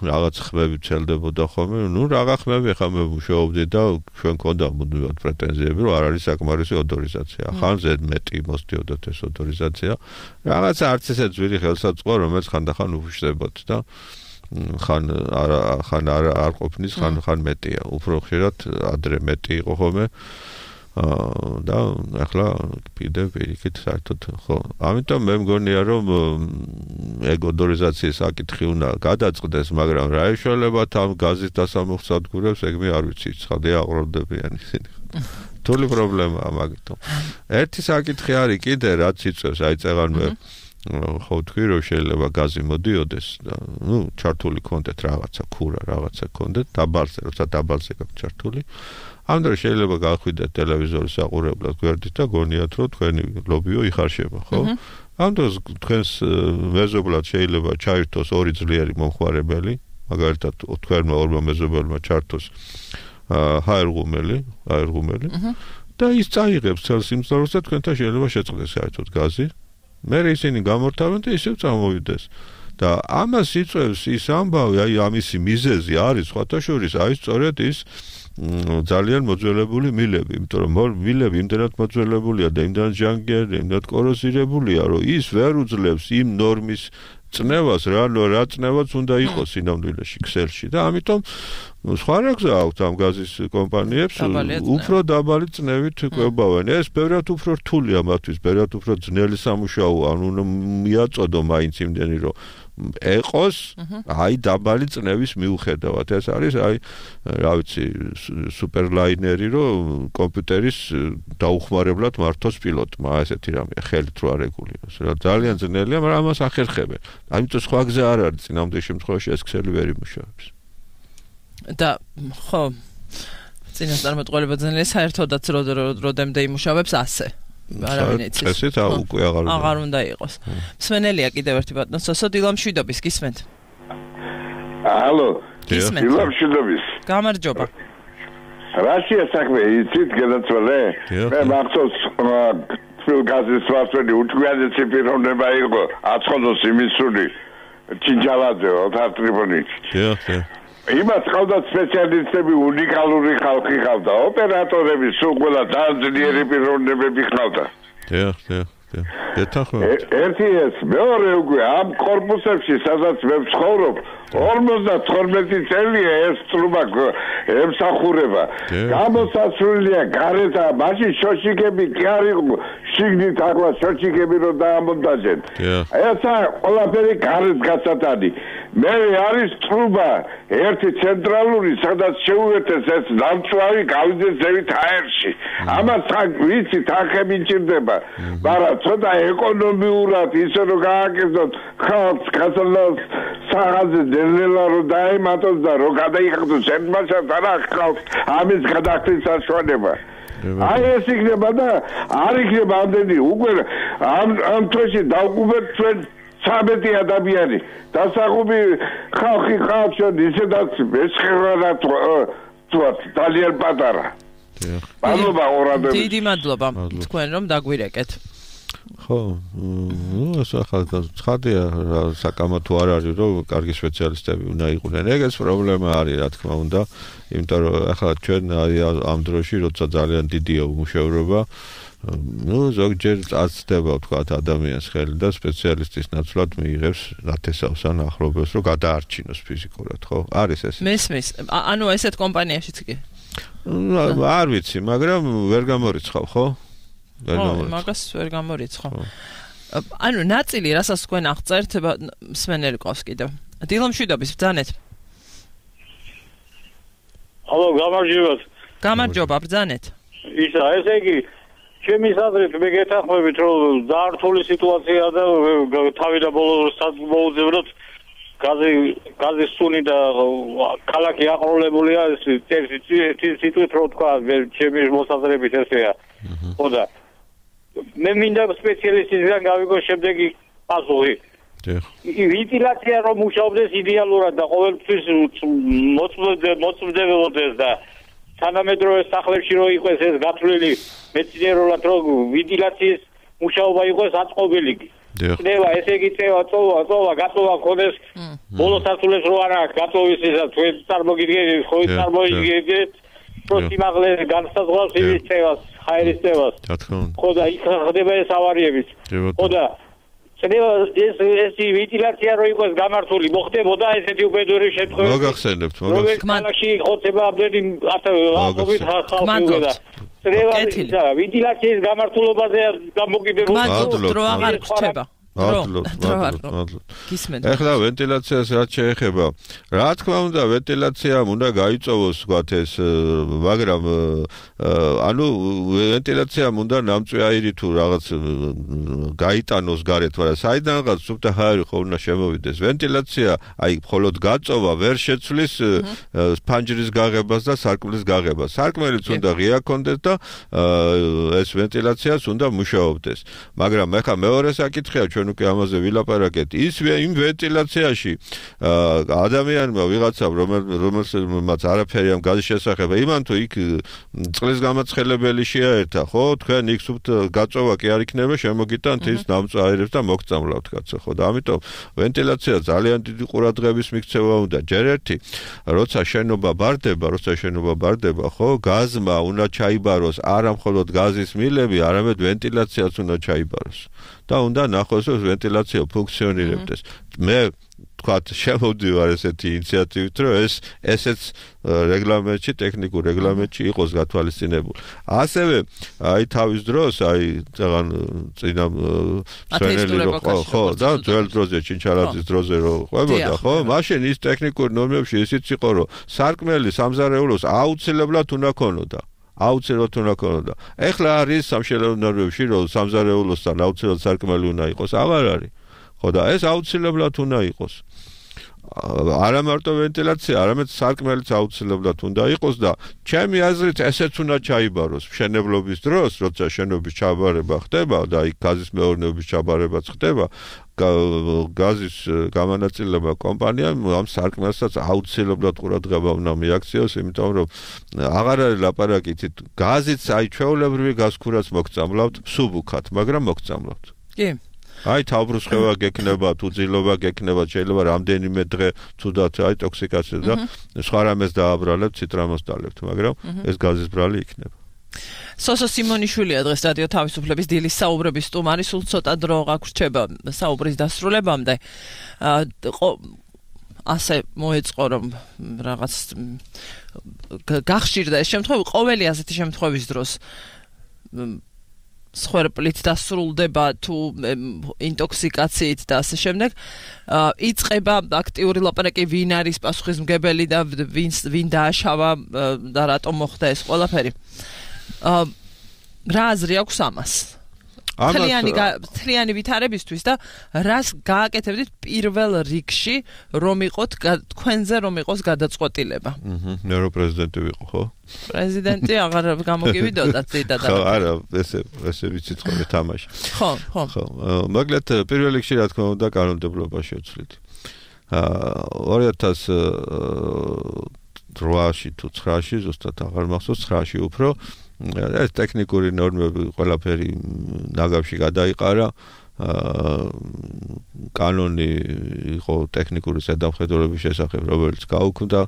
რაღაც ხმები ცელდებოდა ხოლმე, ნუ რაღა ხმები ხა მე მუშაობდი და ჩვენ გქონდა მუდმივად პრეტენზიები, რომ არ არის საკმარისი ავტორიზაცია. ხან ზედ მეტი მოსდიოდათ ეს ავტორიზაცია. რაღაცა არც ესე ძვირი ხელსაწყო, რომელიც ხანდახან უფშდებოდ და ხან არ ხან არ არ ყოფნის, ხან ხან მეტია. უფრო ხშირად ადრე მეტი იყო ხოლმე. აა და ახლა კიდე პირიქით საერთოდ ხო. ამიტომ მე მგონია რომ ეგ ავტორიზაციის საკითხი უნდა გადაწყდეს, მაგრამ რა ეშველებათ ამ გაზის დასამოხსადგურებს, ეგ მე არ ვიცი, ცხადია აყრობდებიან ისინი. თული პრობლემაა მაგითო. ერთი საკითხი არის კიდე რაც იწევს, აი წეგან მე ხო თქვი რომ შეიძლება გაზი მოდიოდეს და ნუ ჩართული კონდეთ რაღაცა ქურა, რაღაცა კონდეთ დაბალზე, როცა დაბალზე გაქვს ჩართული. ამ დროს შეიძლება გახვიდეთ ტელევიზორის საყურებლად გვერდით და გონიათ რომ თქვენი ლობიო იხარშება, ხო? ამ დროს თქვენს მეზობლად შეიძლება ჩაირთოს ორი ძლიერი მომხმარებელი, მაგალითად თქვენმა ორმა მეზობელმა ჩართოს ჰაერღუმელი, ჰაერღუმელი და ის წაიღებს წელს იმ დროს და თქვენთან შეიძლება შეწყდეს საერთოდ გაზი. მე ისინი გამორთავენ და ისევ წამოვიდეს. და ამას იწევს ის ამბავი, აი ამისი მიზეზი არის სხვათა შორის, აი სწორედ ის ძალიან მოძველებული მილები, იმიტომ რომ მილები იმდენად მოძველებულია და იმდენად ჟანგერი, იმდენად კოროზირებულია, რომ ის ვერ უძლებს იმ ნორმის წნევას, რა რა წნევაც უნდა იყოს სინამდვილეში ქსელში და ამიტომ სხვა რა გზა აქვს ამ გაზის კომპანიებს უფრო დაბალი წნევით კვებავენ. ეს ბევრად უფრო რთულია მათთვის, ბევრად უფრო ძნელი სამუშაოა, ანუ მიაწოდო მაინც იმდენი რომ ეყოს აი დაბალი წნევის მიუხედავად. ეს არის აი რა ვიცი სუპერლაინერი რომ კომპიუტერის დაუხმარებლად მართოს პილოტმა, ესეთი რამეა, ხელით რო არ ეგულიოს. ძალიან ძნელია, მაგრამ ამას ახერხებენ. ამიტომ სხვა გზა არ არის, წინამდელ შემთხვევაში ეს ქსელი ვერ იმუშავებს. და ხო წინასწარმეტყველება ძნელია, საერთოდაც როდემდე იმუშავებს ასე. არავინ იცის. ესეც უკვე აღარ უნდა. აღარ უნდა იყოს. მსმენელია კიდევ ერთი ბატონო, სოსო დილამშვიდობის, გისმენთ? ალო, გისმენთ. დილამშვიდობის. გამარჯობა. რაშია საქმე, იცით გადაწყვეტე? მე მახსოვს თბილ გაზის ვარსველი უჩვენესი პიროვნება იყო, აცხადოს იმისული ჩინჯალაძე ოთარ ტრიბუნით. დიახ, დიახ. იმას ყავდა სპეციალისტები, უნიკალური ხალხი ყავდა, ოპერატორები, სულ ყველა დაძლიერი პიროვნებები ყავდა. დიახ, დიახ, დიახ. გეთანხმებით. ერთი ეს, მეორე უკვე ამ კორპუსებში, სადაც მე ვცხოვრობ, ორმოცდათორმეტი წელია ეს წრუმა ემსახურება. გამოსასვლელია გარეთა, მაშინ შოშიკები კი არ იყო, შიგნით ახლა შოშიკები რო დაამონტაჟენ. ესა ყველაფერი გარეთ გასატანი. მე არის წრუმა ერთი ცენტრალური, სადაც შეუერთეს ეს ნამწვარი გავიდეს ზევით აერში. ამას ვიცი, თანხები მჭირდება, მაგრამ ცოტა ეკონომიურად ისე რომ გააკეთოთ ხალხს გასალოს საღაზე დელელა რომ დაემატოს და რომ გადაიხადოს ერთმანეთს არა ხალხს ამის გადახდის საშუალება. აი ეს იქნება და არ იქნება ამდენი უკვე ამ ამ თვეში დავყუბეთ ჩვენ სამეტი ადამიანი დასაღუბი ხალხი ხალხშენ ისედაც მეცხრეა თვათ ძალიან პატარა. მადლობა ორადები. დიდი მადლობა თქვენ რომ დაგვირეკეთ. ხო, ნუ ეს ახლა ცხადია საკამათო არ არის რომ კარგი სპეციალისტები უნდა იყვნენ. ეგეც პრობლემა არის რა თქმა უნდა, იმიტომ რომ ახლა ჩვენ ამ დროში როცა ძალიან დიდია უმუშევრობა, ნუ ზოგჯერ აცდება ვთქვათ ადამიანს ხელი და სპეციალისტის ნაცვლად მიიღებს ნათესავს ან ახლობელს რომ გადაარჩინოს ფიზიკურად, ხო? არის ეს. მესმის. ანუ ესეთ კომპანიაშიც კი. არ ვიცი, მაგრამ ვერ გამორიცხავ, ხო? ხო, მაგას ვერ გამორიცხავ. ანუ ნაწილი, რასაც თქვენ აღწერთ, მსმენელი ყავს კიდევ. დილამშვიდობის, ბრძანეთ. ალო, გამარჯობა. გამარჯობა, ბრძანეთ. ისა, ესე იგი, ჩემი აზრით მე გეთანხმებით, რომ დაართული სიტუაცია და თავი და ბოლოს მოუძევნოთ გაზი გაზის სუნი და ქალაქი აყოლებულია ეს სიტუაცია რო თქვა ჩემი მოსაზრებით ესეა. ხო და მე მინდა სპეციალისტისგან გავიგო შემდეგი პასუხი. ვენტილაცია რომ მუშაობდეს იდეალურად და ყოველთვის მოწმდებოდეს და თანამედროვე სახლებში რო იყოს ეს გათვლილი მეცნიერულად რომ ვენტილაციის მუშაობა იყოს აწყობილი. ხდება ესე იგი წევა წოვა წოვა გაწოვა ქონდეს ბოლო სართულებს რო არა გაწოვის ისა თქვენ წარმოგიდგენთ ხო წარმოგიდგენთ პროსიმაღლე განსაზღვრავს ის წევას ხაერის წევას ხო და იქ ხდება ეს ავარიებიც ხო და წევა ეს ეს ვენტილაცია რო იყოს გამართული მოხდებოდა ესეთი უპედური შემთხვევები მოგახსენებთ მოგახსენებთ ხოცება აბდენი ათობით ხალხი და წევა ვენტილაციის გამართულობაზე გამოგიდებოდა მადლობთ რო აღარ გრჩება მადლობთ, მადლობთ. ეხლა ვენტილაციას რაც შეეხება, რა თქმა უნდა, ვენტილაციამ უნდა გაიწოვოს, ვთქვათ ეს, მაგრამ ანუ ვენტილაციამ უნდა ნამწვე აირი თუ რაღაც გაიტანოს გარეთ, მაგრამ საიდანღაც სუფთა ჰაერი ხო უნდა შემოვიდეს. ვენტილაცია, აი, მხოლოდ გაწოვა ვერ შეცვლის ფანჯრის გაღებას და სარკმლის გაღებას. სარკმელიც უნდა ღია კონდეს და ეს ვენტილაციას უნდა მუშაობდეს. მაგრამ ეხლა მეორე საკითხია ჩვენ უკვე ამაზე ვილაპარაკეთ ის იმ ვენტილაციაში ადამიანმა ვიღაცამ რომელსაც არაფერი ამ გაზის შესახება იმან თუ იქ წყლის გამაცხელებელი შეაერთა ხო თქვენ იქ სუფთ გაწოვა კი არ იქნება შემოგიტანთ ის ნამწვე აირებს და მოგწამლავთ კაცო ხო და ამიტომ ვენტილაცია ძალიან დიდი ყურადღების მიქცევა უნდა ჯერ ერთი როცა შენობა ბარდება როცა შენობა ბარდება ხო გაზმა უნდა ჩაიბაროს არა მხოლოდ გაზის მილები არამედ ვენტილაციაც უნდა ჩაიბაროს და უნდა ნახოს რომ ვენტილაცია ფუნქციონირებდეს მე თქვათ შემოვდივარ ესეთი ინიციატივით რომ ეს ესეც რეგლამენტში ტექნიკურ რეგლამენტში იყოს გათვალისწინებული ასევე აი თავის დროს აი ძალიან წინა სვენელი ხო და ძველ დროზე ჩინჩალაძის დროზე რო ყვებოდა ხო მაშინ ის ტექნიკურ ნორმებში ისიც იყო რომ სარკმელი სამზარეულოს აუცილებლად უნდა ქონოდა აუცილებლად უნდა ქონოდა. ეხლა არის სამშენებლო ნორმებში რომ სამზარეულოსთან აუცილებლად სარკმელი უნდა იყოს, აღარ არის. ხო და ეს აუცილებლად უნდა იყოს. არა მარტო ვენტილაცია, არამედ სარკმელიც აუცილებლად უნდა იყოს და ჩემი აზრით ესეც უნდა ჩაიბაროს მშენებლობის დროს, როცა შენობის ჩაბარება ხდება და იქ გაზის მეურნეობის ჩაბარებაც ხდება, გაზის გამანაწილება კომპანიამ ამ სარკმელსაც აუცილებლად ყურადღება უნდა მიაქციოს, იმიტომ რომ აღარ არის ლაპარაკი გაზიც აი ჩვეულებრივი გაზქურაც მოგწამლავთ სუბუქად, მაგრამ მოგწამლავთ. კი. აი თავბრუსხევა გექნება, თუ ძილობა გექნება, შეიძლება რამდენიმე დღე ცუდად აი ტოქსიკაცია და სხვა რამეს დააბრალებთ, ციტრამოს დალებთ, მაგრამ ეს გაზის ბრალი იქნება. სოსო სიმონიშვილია დღეს რადიო თავისუფლების დილის საუბრების სტუმარი, სულ ცოტა დრო გაგვრჩება საუბრის დასრულებამდე. ასე მოეწყო რომ რაღაც გახშირდა ეს შემთხვევა, ყოველი ასეთი შემთხვევის დროს სხერპლით დასრულდება თუ ინტოქსიკაციით და ასე შემდეგ იწყება აქტიური ლაპარაკი ვინ არის პასუხისმგებელი და ვინ ვინ დააშავა და რატომ მოხდა ეს ყველაფერი რა აზრი აქვს ამას თლიანი თლიანი ვითარებისთვის და რას გააკეთებდით პირველ რიგში რომ იყოთ თქვენზე რომ იყოს გადაწყვეტილება აჰა მე რო პრეზიდენტი ვიყო ხო პრეზიდენტი აღარ გამოგივიდოდათ ზედა და ხო არა ესე ესე ვიცით ხოლმე თამაში ხო ხო ხო მაგალითად პირველ რიგში რა თქმა უნდა კანონმდებლობა შევცვლით ორი ათას ოთხში თუ ცხრაში ზუსტად აღარ მახსოვს ცხრაში უფრო ეს ტექნიკური ნორმები ყველაფერი ნაგავში გადაიყარა კანონი იყო ტექნიკური ზედამხედველობის შესახებ რომელიც გაუქმდა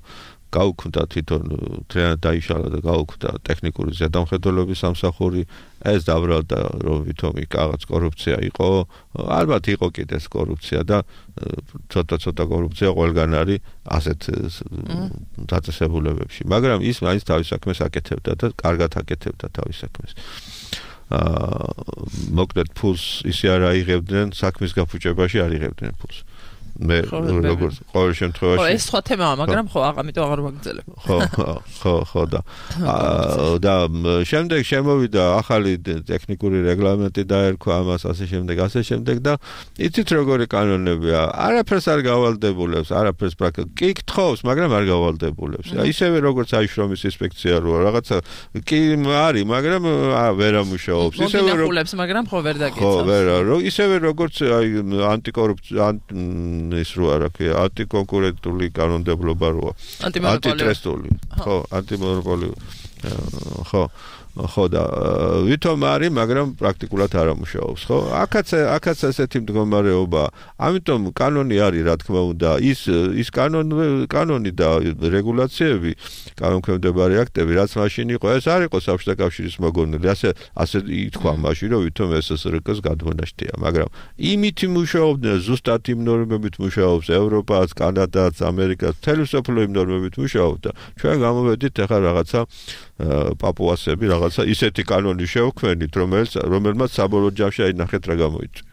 გაუქმდა თვითონ თლიანად დაიშალა და გაუქმდა ტექნიკური ზედამხედველობის სამსახური ეს დაბრალდა რომ ვითომ იქ რაღაც კორუფცია იყო ალბათ იყო კიდეც კორუფცია და ცოტა ცოტა კორუფცია ყველგან არის ასეთ დაწესებულებებში მაგრამ ის მაინც თავის საქმეს აკეთებდა და კარგად აკეთებდა თავის საქმეს აა მოკლედ ფულს ისე არ აიღებდნენ საქმის გაფუჭებაში არ იღებდნენ ფულს მე როგორც ყოველ შემთხვევაში ხო ეს სხვა თემაა მაგრამ ხო ამიტომ აღარ ვაგრძელებ ხო ხო ხო და და შემდეგ შემოვიდა ახალი ტექნიკური რეგლამენტი დაერქვა ამას ასე შემდეგ ასე შემდეგ და იცით როგორი კანონებია არაფერს არ გავალდებულებს არაფერს პრაქტიკულად კი გთხოვს მაგრამ არ გავალდებულებს ისევე როგორც აი შრომის ინსპექცია რო რაღაცა კი არის მაგრამ ვერ ამუშავებს ისევე როგორც მაგრამ ხო ვერ დაგეცავს ხო ვერ ისევე როგორც აი ანტიკორუფცია ის რო არა კი ანტიკონკურენტული კანონმდებლობა როა ანტიტრესტული ხო ანტიმონოპოლიური ხო ხო და ვითომ არის, მაგრამ პრაქტიკულად არ ამუშავებს, ხო? აქაც აქაც ესეთი მდგომარეობა. ამიტომ კანონი არის, რა თქმა უნდა, ის ის კანონი კანონი და რეგულაციები, კანონქვემდებარე აქტები, რაც მაშინ იყო, ეს არ იყო საბჭოთა კავშირის მოგონილი. ასე ასე ითქვა მაშინ, რომ ვითომ ეს ეს რკ გადმონაშთია, მაგრამ იმით მუშაობდნენ, ზუსტად იმ ნორმებით მუშაობს ევროპაც, კანადაც, ამერიკაც, მთელი მსოფლიო იმ ნორმებით მუშაობდა. ჩვენ გამოვედით ახლა რაღაცა პაპუასები რაღაცა ისეთი კანონი შევქმნით, რომელიც რომელმაც საბოლოო ჯამში აინახეთ რა გამოიწვია.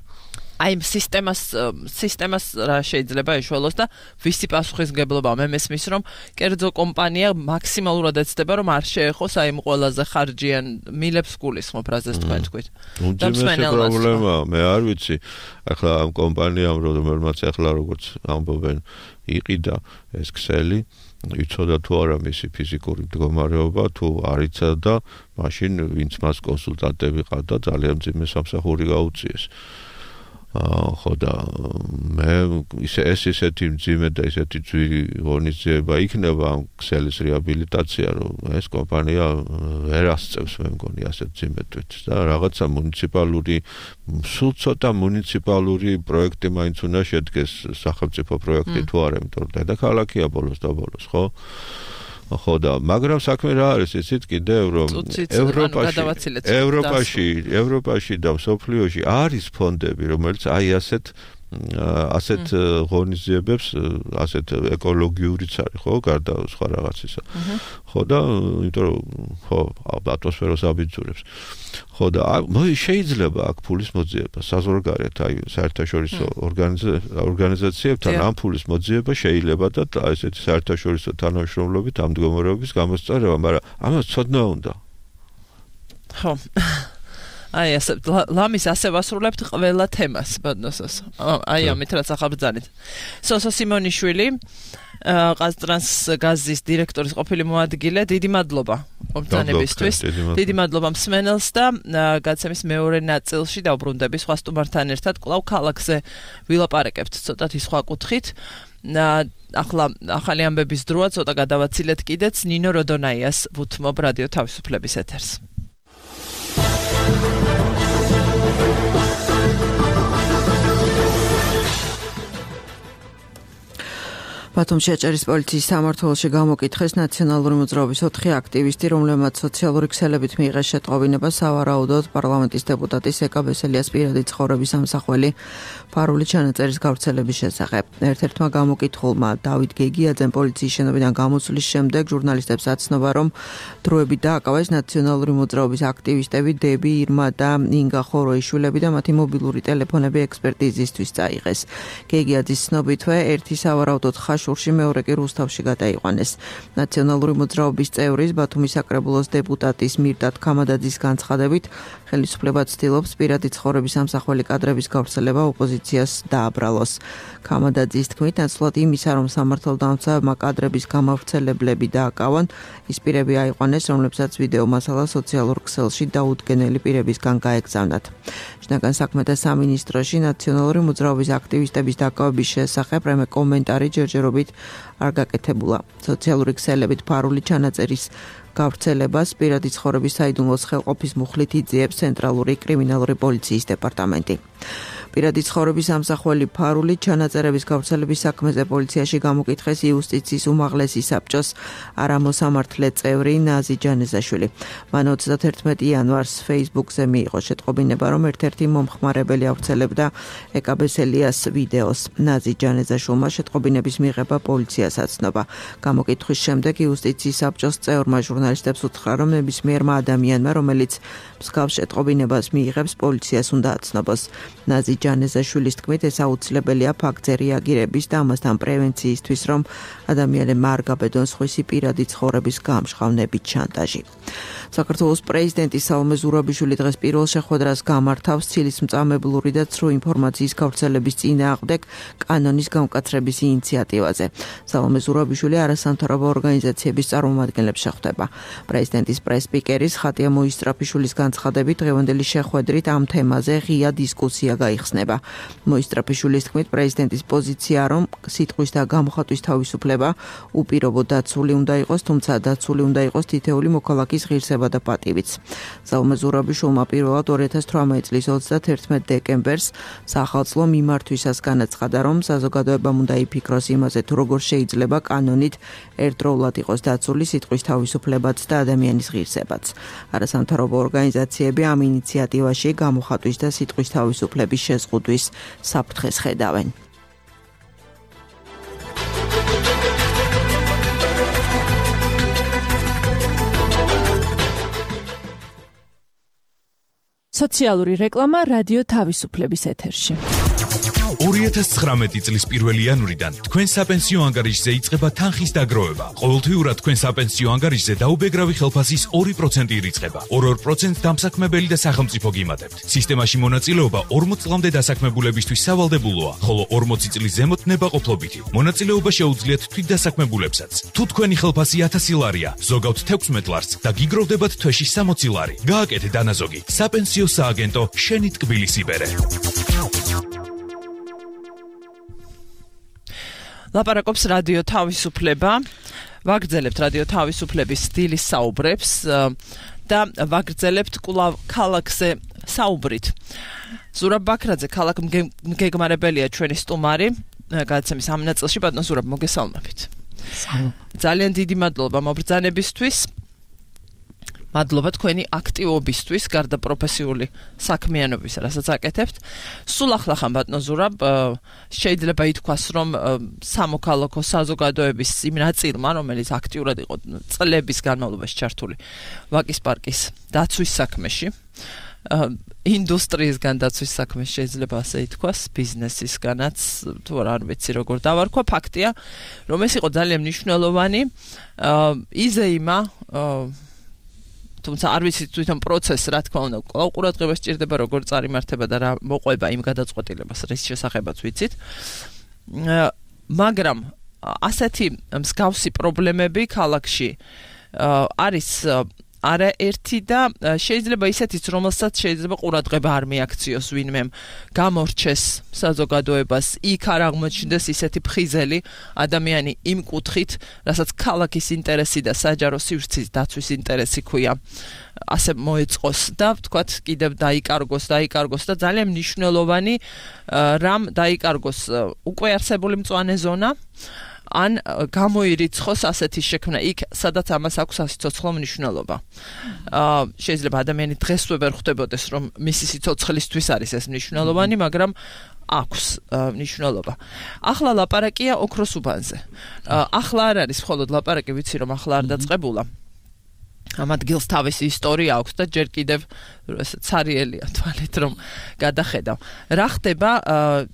აი სისტემას სისტემას რა შეიძლება ეშველოს და ვისი პასუხისმგებლობა მე მესმის რომ კერძო კომპანია მაქსიმალურად ეცდება რომ არ შეეხოს აი ყველაზე ხარჯიან მილებს გულისხმობ რაზეც თქვენ თქვით. და პრობლემა მე არ ვიცი ახლა ამ კომპანიამ რომელმაც ახლა როგორც ამბობენ იყიდა ეს ქსელი იცოდა თუ არა მისი ფიზიკური მდგომარეობა თუ არ იცოდა მაშინ ვინც მას კონსულტანტები ყავდა ძალიან მძიმე სამსახური გაუწიეს. ხო და მე ისე ეს ისეთი მძიმე და ისეთი ძვირი ღონისძიება იქნება ამ ქსელის რეაბილიტაცია რომ ეს კომპანია ვერ ასწევს მე მგონი ასე მძიმე თვით და რაღაცა მუნიციპალური სულ ცოტა მუნიციპალური პროექტი მაინც უნდა შედგეს სახელმწიფო პროექტი თუ არა იმიტომ რომ დედაქალაქია ბოლოს და ბოლოს ხო ხო და მაგრამ საქმე რა არის იცით კიდევ რომ ევროპაში ევროპაში ევროპაში და მსოფლიოში არის ფონდები რომელიც აი ასეთ ასეთ ღონისძიებებს ასეთ ეკოლოგიურიც არის ხო გარდა სხვა რაღაცისა ხო და იმიტომ რომ ხო ატმოსფეროს აბიძურებს ხო და შეიძლება აქ ფულის მოძიება საზღვარგარეთ აი საერთაშორისო ორგანიზაციებთან ამ ფულის მოძიება შეიძლება და ესეთი საერთაშორისო თანამშრომლობით ამ მდგომარეობის გამოსწორება მაგრამ ამას ცოდნა უნდა ხო აი ასე ლამის ასე ვასრულებთ ყველა თემას ბოდნოსოს აი ამით რაც ახალბრძანეთ სოსო სიმონიშვილი ყაზტრანსგაზის დირექტორის ყოფილი მოადგილე დიდი მადლობა მომწანებისთვის დიდი მადლობა მსმენელს და გაცემის მეორე ნაწილში დავბრუნდები სხვა სტუმართან ერთად კვლავ ქალაქზე ვილაპარაკებთ ცოტათი სხვა კუთხით ახლა ახალი ამბების დროა ცოტა გადავაცილეთ კიდეც ნინო როდონაიას ვუთმობ რადიო თავისუფლების ეთერს ბათუმში აჭარის პოლიციის სამმართველოში გამოკითხეს ნაციონალური მოძრაობის ოთხი აქტივისტი, რომლებმაც სოციალური ქსელებით მიიღეს შეტყობინება სავარაუდოდ პარლამენტის დეპუტატის ეკა ბესელიას პირადი ცხოვრების ამსახველი ფარული ჩანაწერის გავრცელების შესახებ. ერთ-ერთმა გამოკითხულმა დავით გეგიაძემ პოლიციის შენობიდან გამოსვლის შემდეგ ჟურნალისტებს აცნობა, რომ დროებით დააკავეს ნაციონალური მოძრაობის აქტივისტები დები, ირმა და ინგა ხოროიშვილები და მათი მობილური ტელეფონები ექსპერტიზისთვის წაიღეს. გეგიაძის ცნობითვე ერთი სავარაუდოდ ხაშურში მეორე კი რუსთავში გადაიყვანეს. ნაციონალური მოძრაობის წევრის ბათუმის საკრებულოს დეპუტატის მირდატ ქამადაძის განცხადებით ხელისუფლება ცდილობს პირადი ცხოვრების ამსახველი კადრების გავრცელება ოპოზიციას დააბრალოს. ქამადაძის თქმით, ნაცვლად იმისა, რომ სამართალდამცავებმა კადრების გამავრცელებლები დააკავონ, ის პირები აიყვანეს, რომლებსაც ვიდეო მასალა სოციალურ ქსელში დაუდგენელი პირებისგან გაეგზავნათ. შინაგან საქმეთა სამინისტროში ნაციონალური მოძრაობის აქტივისტების დაკავების შესახებ რამე კომენტარი ჯერჯერობით არ გაკეთებულა. სოციალური ქსელებით ფარული ჩანაწერის გავრცელებას პირადი ცხოვრების საიდუმლოს ხელყოფის მუხლით იძიებს ცენტრალური კრიმინალური პოლიციის დეპარტამენტი. პირადი ცხოვრების ამსახველი ფარული ჩანაწერების გავრცელების საქმეზე პოლიციაში გამოკითხეს იუსტიციის უმაღლესი საბჭოს არამოსამართლე წევრი ნაზი ჯანეზაშვილი. მან ოცდაათერთმეტი იანვარს Facebook-ზე მიიღო შეტყობინება, რომ ერთ-ერთი მომხმარებელი ავრცელებდა ეკა ბესელიას ვიდეოს. ნაზი ჯანეზაშვილმა შეტყობინების მიღება პოლიციას აცნობა. გამოკითხვის შემდეგ იუსტიციის საბჭოს წევრმა ჟურნალისტებს უთხრა, რომ ნებისმიერმა ადამიანმა, რომელიც მსგავს შეტყობინებას მიიღებს, პოლიციას უნდა აცნობას. ნაზი ჯანეზაშვილის თქმით, ეს აუცილებელია ფაქტზე რეაგირების და ამასთან პრევენციისთვის, რომ ადამიანებმა არ გაბედონ სხვისი პირადი ცხოვრების გამჟღავნებით შანტაჟი. საქართველოს პრეზიდენტი სალომე ზურაბიშვილი დღეს პირველ შეხვედრას გამართავს ცილისმწამებლური და ცრუ ინფორმაციის გავრცელების წინააღმდეგ კანონის გამკაცრების ინიციატივაზე. სალომე ზურაბიშვილი არასამთავრობო ორგანიზაციების წარმომადგენლებს შეხვდება. პრეზიდენტის პრეს-სპიკერის ხატია მოისტრაფიშვილის განცხადებით, დღევანდელი შეხვედრით ამ თემაზე ღია დისკუსია გაიხსნა. გახსნება. მოისტრაფიშვილის თქმით, პრეზიდენტის პოზიცია, რომ სიტყვის და გამოხატვის თავისუფლება უპირობო დაცული უნდა იყოს, თუმცა დაცული უნდა იყოს თითეული მოქალაქის ღირსება და პატივიც. ზალმე ზურაბიშვილმა პირველად ორი ათას თვრამეტი წლის ოცდაათერთმეტ დეკემბერს სახალხო მიმართვისას განაცხადა, რომ საზოგადოებამ უნდა იფიქროს იმაზე, თუ როგორ შეიძლება კანონით ერთდროულად იყოს დაცული სიტყვის თავისუფლებაც და ადამიანის ღირსებაც. არასამთავრობო ორგანიზაციები ამ ინიციატივაში გამოხატვის და სიტყვის თავისუფლების შეზღუდვის საფრთხეს ხედავენ. სოციალური რეკლამა რადიო თავისუფლების ეთერში. ორი ათას ცხრამეტი წლის პირველი იანვრიდან თქვენ საპენსიო ანგარიშზე იწყება თანხის დაგროვება. ყოველთვიურად თქვენ საპენსიო ანგარიშზე დაუბეგრავი ხელფასის ორი პროცენტი ირიცხება. ორ-ორ პროცენტს დამსაქმებელი და სახელმწიფო გიმატებთ. სისტემაში მონაწილეობა ორმოც წლამდე დასაქმებულებისთვის სავალდებულოა, ხოლო ორმოცი წლის ზემოთ ნებაყოფლობითი. მონაწილეობა შეუძლიათ თვითდასაქმებულებსაც. თუ თქვენი ხელფასი ათასი ლარია, ზოგავთ თექვსმეტ ლარს და გიგროვდებათ თვეში სამოცი ლარი. გააკეთე დანაზოგი. საპენსიო სააგენტო შენი ტკბილის იბერე. ლაპარაკობს რადიო თავისუფლება, ვაგრძელებთ რადიო თავისუფლების სტილის საუბრებს და ვაგრძელებთ კვლავ ქალაქზე საუბრით. ზურაბ ბაქრაძე, ქალაქ მგეგმარებელია ჩვენი სტუმარი, გადაცემის ამ ნაწილში. ბატონო ზურაბ, მოგესალმებით. ძალიან დიდი მადლობა მობრძანებისთვის. მადლობა თქვენი აქტივობისთვის, გარდა პროფესიული საქმიანობის, რასაც აკეთებთ. სულ ახლა ხან ბატონო ზურაბ, შეიძლება ითქვას, რომ სამოქალაქო საზოგადოების იმ ნაწილმა, რომელიც აქტიურად იყო წლების განმავლობაში ჩართული ვაკის პარკის დაცვის საქმეში, ინდუსტრიისგან დაცვის საქმეში შეიძლება ასე ითქვას, ბიზნესისგანაც, თუ არ ვიცი როგორ დავარქვა, ფაქტია, რომ ეს იყო ძალიან მნიშვნელოვანი იზეიმა, თუმცა არ ვიცი თვითონ პროცესს, რა თქმა უნდა, კვლავ ყურადღება სჭირდება, როგორ წარიმართება და რა მოყვება იმ გადაწყვეტილებას, რის შესახებაც ვიცით. მაგრამ ასეთი მსგავსი პრობლემები ქალაქში არის არაერთი და შეიძლება ისეთიც, რომელსაც შეიძლება ყურადღება არ მიაქციოს ვინმე გამორჩეს საზოგადოებას, იქ არ აღმოჩნდეს ისეთი ფხიზელი ადამიანი იმ კუთხით, რასაც ქალაქის ინტერესი და საჯარო სივრცის დაცვის ინტერესი ქვია, ასე მოეწყოს და ვთქვათ, კიდევ დაიკარგოს, დაიკარგოს და ძალიან მნიშვნელოვანი რამ დაიკარგოს უკვე არსებული მწვანე ზონა, ან გამოირიცხოს ასეთი შექმნა იქ, სადაც ამას აქვს სიცოცხლო მნიშვნელობა. შეიძლება ადამიანი დღესვე ვერ ხვდებოდეს, რომ მისი სიცოცხლისთვის არის ეს მნიშვნელოვანი, მაგრამ აქვს მნიშვნელობა. ახლა ლაპარაკია ოქროს უბანზე. ახლა არ არის მხოლოდ ლაპარაკი, ვიცი რომ ახლა არ დაწყებულა. ამ ადგილს თავისი ისტორია აქვს და ჯერ კიდევ ცარიელია თვალით რომ გადახედავ. რა ხდება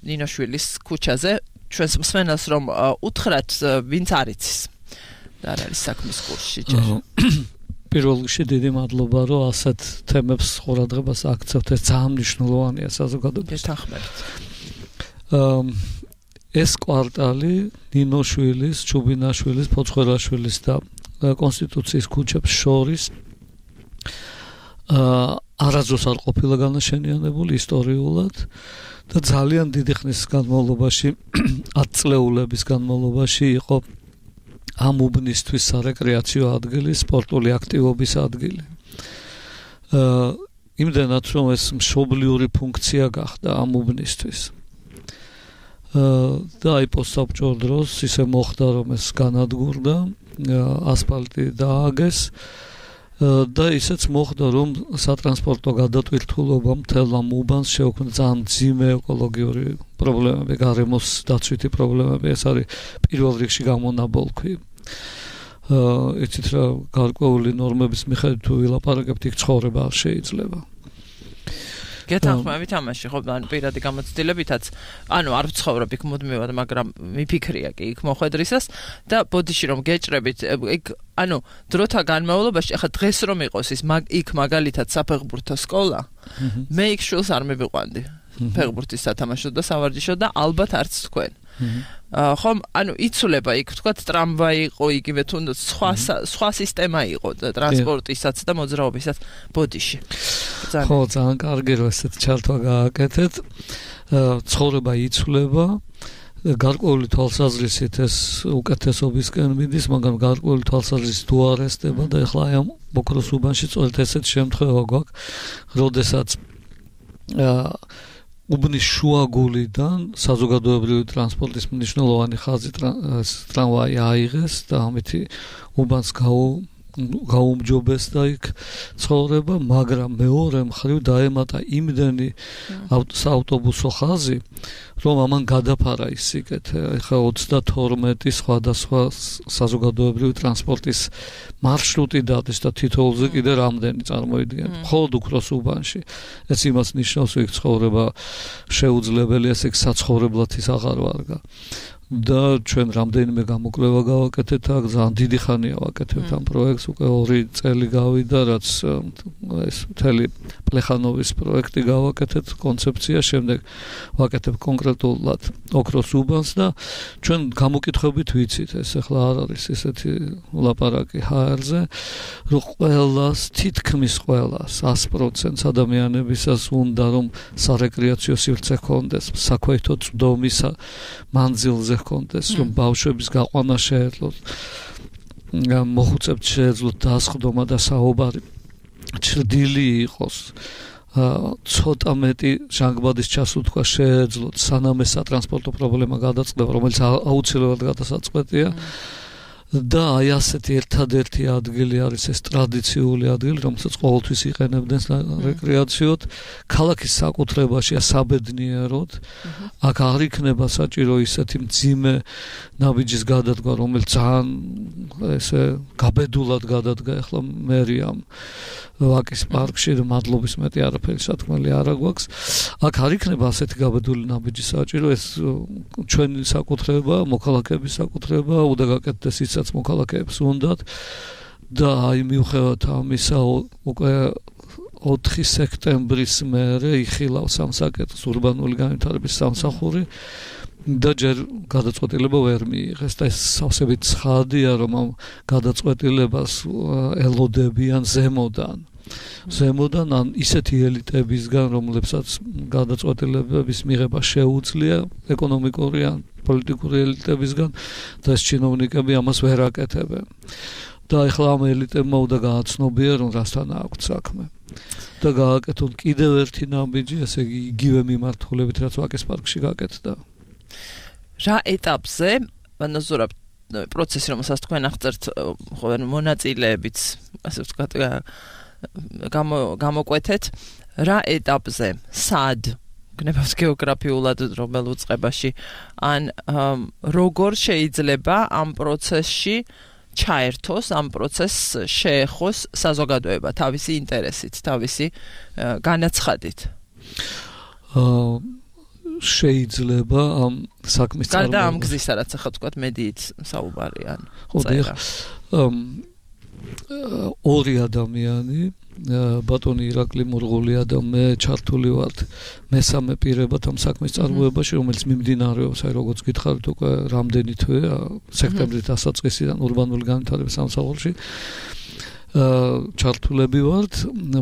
ნინოშვილის ქუჩაზე? ჩვენს მსმენელს რომ უთხრათ, ვინც არ იცის და არ არის საქმის კურსში ჯერ. პირველ რიგში დიდი მადლობა, რომ ასეთ თემებს ყურადღებას აქცევთ, ეს ძალიან მნიშვნელოვანია საზოგადოებისთვის. გეთანხმებით. ეს კვარტალი ნინოშვილის, ჩუბინაშვილის, ფოცხელაშვილის და კონსტიტუციის ქუჩებს შორის არასდროს არ ყოფილა განაშენიანებული ისტორიულად და ძალიან დიდი ხნის განმავლობაში, ათ წლეულების განმავლობაში იყო ამ უბნისთვის სარეკრეაციო ადგილი, სპორტული აქტივობის ადგილი. იმდენად, რომ ეს მშობლიური ფუნქცია გახდა ამ უბნისთვის. და აი პოსტსაბჭოს დროს ისე მოხდა, რომ ეს განადგურდა, ასფალტი დააგეს და ისეც მოხდა, რომ სატრანსპორტო გადატვირთულობა მთელ ამ უბანს შეუქმნა ძალიან მძიმე ეკოლოგიური პრობლემები, გარემოს დაცვითი პრობლემები, ეს არის პირველ რიგში გამონაბოლქვი. იცით რა, გარკვეული ნორმების მიხედვით თუ ვილაპარაკებთ, იქ ცხოვრება არ შეიძლება. გეთანხმებით ამაში, ხო, ანუ პირადი გამოცდილებითაც, ანუ არ ვცხოვრობ იქ მუდმივად, მაგრამ მიფიქრია კი იქ მოხვედრისას და ბოდიში რომ გეჭრებით, იქ ანუ დროთა განმავლობაში, ახლა დღეს რომ იყოს ის იქ მაგალითად საფეხბურთო სკოლა, მე იქ შვილს არ მივიყვანდი. ფეხბურთის სათამაშო და სავარჯიშო და ალბათ არც თქვენ. ხომ, ანუ იცვლება იქ, ვთქვათ, ტრამვაი იყო, იგივე თუნდაც სხვა სხვა სისტემა იყო ტრანსპორტისაც და მოძრაობისაც ბოდიში. ხო, ძალიან კარგი რომ ესეთ ჩართვა გააკეთეთ. ცხოვრება იცვლება გარკვეული თვალსაზრისით ეს უკეთესობისკენ მიდის, მაგრამ გარკვეული თვალსაზრისით უარესდება და ეხლა აი ამ ოქროს უბანში სწორედ ესეთი შემთხვევა გვაქვს, როდესაც უბნის შუაგულიდან საზოგადოებრივი ტრანსპორტის მნიშვნელოვანი ხაზი ტრამვაი აიღეს და ამით უბანს გაუ გაუმჯობესდა იქ ცხოვრება, მაგრამ მეორე მხრივ დაემატა იმდენი საავტობუსო ხაზი, რომ ამან გადაფარა ის სიკეთე. ეხლა ოცდათორმეტი სხვადასხვა საზოგადოებრივი ტრანსპორტის მარშრუტი დადეს და თითოეულზე კიდე რამდენი წარმოიდგენთ. მხოლოდ ოქროს უბანში. ეს იმას ნიშნავს, რომ იქ ცხოვრება შეუძლებელია, ეს იქ საცხოვრებლად ის აღარ ვარგა. და ჩვენ რამდენიმე გამოკვლევა გავაკეთეთ აქ, ძალიან დიდი ხანია ვაკეთებთ ამ პროექტს, უკვე ორი წელი გავიდა, რაც ეს მთელი პლეხანოვის პროექტი გავაკეთეთ, კონცეფცია, შემდეგ ვაკეთებ კონკრეტულად ოქროს უბანს და ჩვენ გამოკითხვებით ვიცით, ეს ახლა არ არის ესეთი ლაპარაკი ჰა ერზე, რომ ყველას, თითქმის ყველას, ას პროცენტს ადამიანებისას უნდა რომ სარეკრეაციო სივრცე ჰქონდეს, საქვეითო წვდომის მანძილზე ჰქონდეს, რომ ბავშვების გაყვანა შეეძლოთ, მოხუცებთ შეეძლოთ დასხდომა და საუბარი ჩრდილი იყოს, ცოტა მეტი ჟანგბადის ჩასუთქვა შეეძლოთ, სანამ ეს სატრანსპორტო პრობლემა გადაწყდება, რომელიც აუცილებლად გადასაწყვეტია. და აი ასეთი ერთადერთი ადგილი არის ეს ტრადიციული ადგილი, რომელსაც ყოველთვის იყენებდნენ რეკრეაციოდ, ქალაქის საკუთრებაშია საბედნიეროდ. აქ არ იქნება საჭირო ისეთი მძიმე ნაბიჯის გადადგმა, რომელიც ძალიან ესე გაბედულად გადადგა ახლა მერიამ ვაკის პარკში და მადლობის მეტი არაფერი სათქმელი არ აგვაქვს. აქ არ იქნება ასეთი გაბედული ნაბიჯი საჭირო, ეს ჩვენი საკუთრება, მოქალაქეების საკუთრება, უნდა გაკეთდეს ისაც მოქალაქეებს უნდათ და აი მიუხედავად ამისა უკვე ოთხი სექტემბრის მერე იხილავს სამსაკეთოს ურბანული განვითარების სამსახური და ჯერ გადაწყვეტილება ვერ მიიღეს და ეს სავსებით ცხადია, რომ ამ გადაწყვეტილებას ელოდებიან ზემოდან. ზემოდან ან ისეთი ელიტებისგან, რომლებსაც გადაწყვეტილებების მიღება შეუძლია, ეკონომიკური ან პოლიტიკური ელიტებისგან და ეს ჩინოვნიკები ამას ვერ აკეთებენ. და ეხლა ამ ელიტებმა უნდა გააცნობიან, რომ რასთან აქვს საქმე. და გააკეთონ კიდევ ერთი ნაბიჯი, ესე იგი იგივე მიმართულებით, რაც ვაკის პარკში გაკეთდა. რა ეტაპზე, ანუ ზურაბ პროცესი, რომელსაც თქვენ აღწერთ, ხო, მონაწილეებიც, ასე ვთქვათ, გამოკვეთეთ, რა ეტაპზე, სად გნებავს გეოგრაფიულად რომელ უწყებაში, ან როგორ შეიძლება ამ პროცესში ჩაერთოს, ამ პროცესს შეეხოს საზოგადოება თავისი ინტერესით, თავისი განაცხადით. შეიძლება ამ საქმის წარმოება. გარდა ამ გზისა, რაც ახლა თქვათ მედიით საუბარია. ორი ადამიანი, ბატონი ირაკლი მურღულია და მე ჩართული ვართ მესამე პირებად ამ საქმის წარმოებაში, რომელიც მიმდინარეობს, აი როგორც გითხარით უკვე რამდენი თვე, სექტემბრის დასაწყისიდან ურბანული განვითარების სამსახურში ჩართულები ვართ,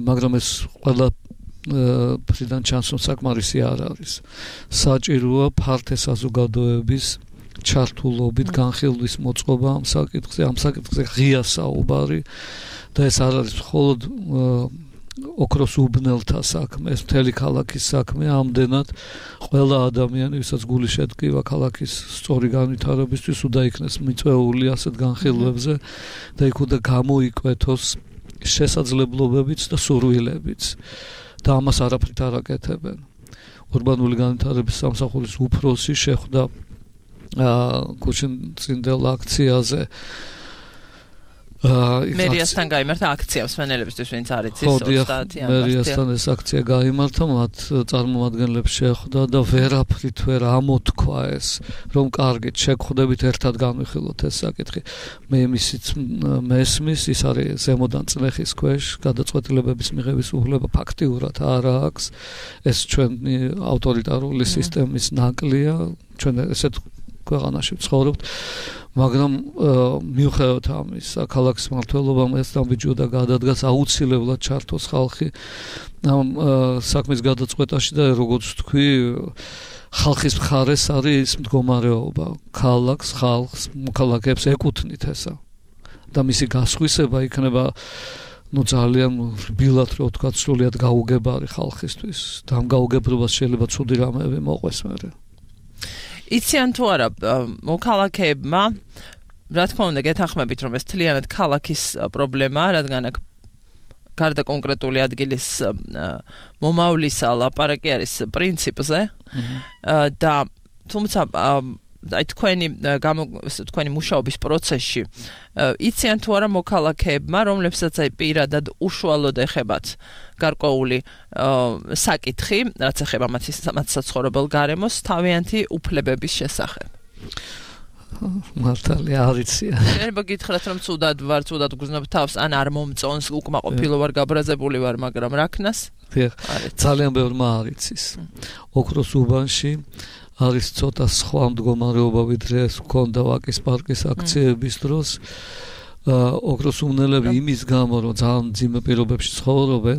მაგრამ ეს ყველა ფრიდან ჩანს, რომ საკმარისი არ არის. საჭიროა ფართე საზოგადოების ჩართულობით განხილვის მოწყობა ამ საკითხზე, ამ საკითხზე ღია საუბარი და ეს არ არის მხოლოდ ოქროს უბნელთა საქმე, ეს მთელი ქალაქის საქმე, ამდენად ყველა ადამიანი, ვისაც გული შედგება ქალაქის სწორი განვითარებისთვის, უნდა იქნეს მიწვეული ასეთ განხილვებზე და იქ უნდა გამოიკვეთოს შესაძლებლობებიც და სურვილებიც. და ამას არაფრით არ აკეთებენ. ურბანული განვითარების სამსახურის უფროსი შეხვდა გუშინწინდელ აქციაზე მერიასთან გაიმართა აქცია მსმენელებისთვის, ვინც არ იცის ოცდაათი მერიასთან ეს აქცია გაიმართა, მათ წარმომადგენლებს შეხვდა და ვერაფრით ვერ ამოთქვა ეს, რომ კარგით შეგხვდებით ერთად განვიხილოთ ეს საკითხი. მე იმისიც მესმის, ის არის ზემოდან წლეხის ქვეშ გადაწყვეტილებების მიღების უფლება ფაქტიურად არ აქვს. ეს ჩვენი ავტორიტარული სისტემის ნაკლია, ჩვენ ესეთ ქვეყანაში ვცხოვრობთ, მაგრამ მიუხედავად ამისა, ქალაქის მმართველობამ ეს დამბიჯოდა გადადგას აუცილებლად ჩართოს ხალხი ამ საქმის გადაწყვეტაში და როგორც თქვი, ხალხის მხარეს არის მდგომარეობა, ქალაქს, ხალხს, მოქალაქეებს ეკუთვნით ესა. და მისი გასხვისება იქნება ну ძალიან რბილად რო ვთქვა სრულიად გაუგებარი ხალხისთვის და ამ გაუგებრობას შეიძლება ცუდი რამეები მოყვეს მერე. იციან თუ არა მოქალაქეებმა რა თქმა უნდა გეთანხმებით რომ ეს თლიანად ქალაქის პრობლემაა, რადგან აქ გარდა კონკრეტული ადგილის მომავლისა ლაპარაკი არის პრინციპზე და თუმცა აი თქვენი თქვენი მუშაობის პროცესში იციან თუ არა მოქალაქეებმა, რომლებსაც აი პირადად უშუალოდ ეხებათ გარკვეული საკითხი, რაც ეხება მათ საცხოვრებელ გარემოს, თავიანთი უფლებების შესახებ. მართალია არ იციან. შეიძლება გითხრათ რომ ცუდად ვარ, ცუდად გგზნობ თავს, ან არ მომწონს, უკმაყოფილო ვარ, გაბრაზებული ვარ, მაგრამ რა ქნას? ძალიან ბევრმა არ იცის. ოქროს უბანში არის ცოტა სხვა მდგომარეობა ვიდრე ეს ჰქონდა ვაკის პარკის აქციების დროს. ოქროს უმნელები იმის გამო რომ ძალიან მძიმე პირობებში ცხოვრობენ,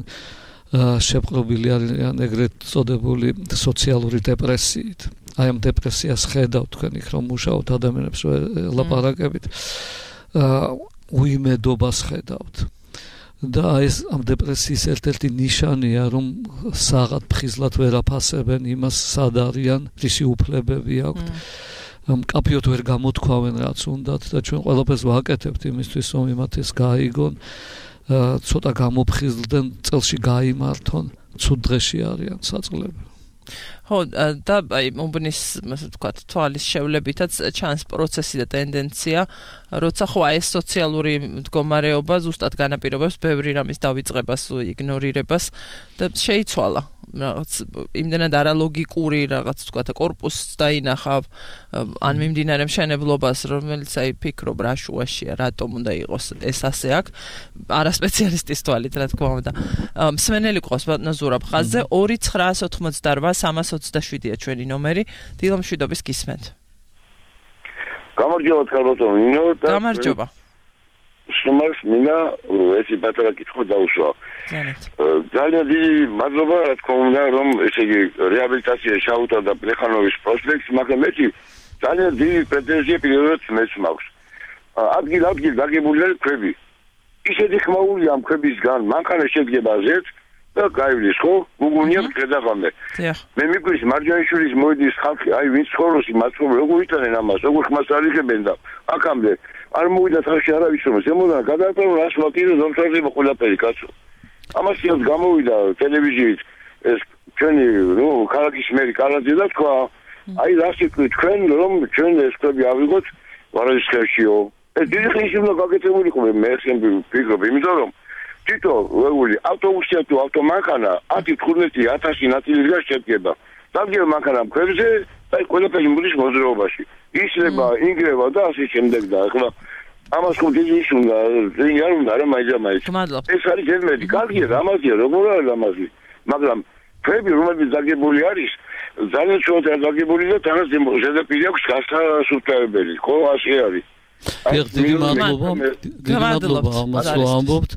შეპყრობილი არიან ეგრეთ წოდებული სოციალური დეპრესიით. აი ამ დეპრესიას ხედავთ თქვენ იქ რომ მუშაობთ ადამიანებს ლაპარაკებით, უიმედობას ხედავთ. და ეს ამ დეპრესიის ერთ-ერთი ნიშანია რომ საღად ფხიზლად ვერ აფასებენ იმას სად არიან, რისი უფლებები აქვთ. მკაფიოდ ვერ გამოთქვამენ რაც უნდათ და ჩვენ ყველაფერს ვაკეთებთ იმისთვის რომ იმათეს გაიგონ, ცოტა გამოფხიზლდნენ, წელში გაიმართონ, ცუდ დღეში არიან საწყლები. ხო და აი მომბნის ასე ვთქვათ თვალის შევლებითაც ჩანს პროცესი და ტენდენცია, როცა ხო აი ეს სოციალური მდგომარეობა ზუსტად განაპირობებს ბევრი რამის დავიწყებას, იგნორირებას და შეიცვალა რაღაც იმდენად არალოგიკური რაღაც ვთქვათ კორპუსს დაინახავ ან მიმდინარე მშენებლობას, რომელიც აი ფიქრობ რა შუაშია, რატომ უნდა იყოს ეს ასე აქ, არა სპეციალისტის თვალით რა თქმა უნდა. მსმენელი ყავს ბატონო ზურაბ ხაზზე ორი ცხრაას ოცდაოთხმოცდაარბა სამას ოცდაშვიდია ჩვენი ნომერი, დილამშვიდობის გისმენთ. გამარჯობა თქალბატონო ნინო და გამარჯობა. შემარს მინდა ესე პატარა კითხვა დაუშვა. ძალიან დიდი მადლობა რა თქმა უნდა რომ ესე იგი რეაბილიტაცია შაუთა და პლეხანოვის პროსპექტს, მაგრამ მე ძალიან დიდი პრეტენზია პირველად მეც მაქვს. ადგილ ადგილ დაგებულია ქვები. ისეთი ხმაურია ამ ქვებისგან, მანქანა შედგება ზეთ და გაივლის ხო? გუგუნია გადაღამე. მე მიგვრის მარჯანიშვილის მოედის ხალხი, აი ვინც ხოროსი მაცხოვრ როგორ იტანენ ამას, როგორ ხმას არიხებენ და აქამდე არ მოვიდა თავში არავის რომ ზემოდან გადააყენო ასფალტი და ზომთარდება ყველაფერი კაცო. ამას ის გამოვიდა ტელევიზიით ეს ჩვენი ნუ ქალაქის მერი კალაძე და თქვა აი რაში თქვენ რომ ჩვენ ეს ქვები ავიღოთ ვარაჯიშევშიო. ეს დიდი ხნის უნდა გაკეთებულიყო მე ხემბი ფიქრობ, იმიტომ რომ თითო ვეული ავტობუსი თუ ავტომანქანა ათი თხუთმეტი ათასი ნაწილისგან შედგება. დაგიო მანქანა ქვებზე და ყველაფერი მოდის მოძრაობაში. ისლება, ინგრევა და ასე შემდეგ და ახლა ამას ხო დიდი ის უნდა ზეინ არ უნდა რა მაიძამაიც. ეს არის ძმები, კარგია, ამაზია, როგორ არის ამაზი. მაგრამ ქვები რომელიც დაგებული არის, ძალიან შორტად დაგებული და თანაც ზედაპირი აქვს გასასუფთავებელი, ხო ასე არის. დიდი მადლობა, დიდი მადლობა ამას რომ ამბობთ.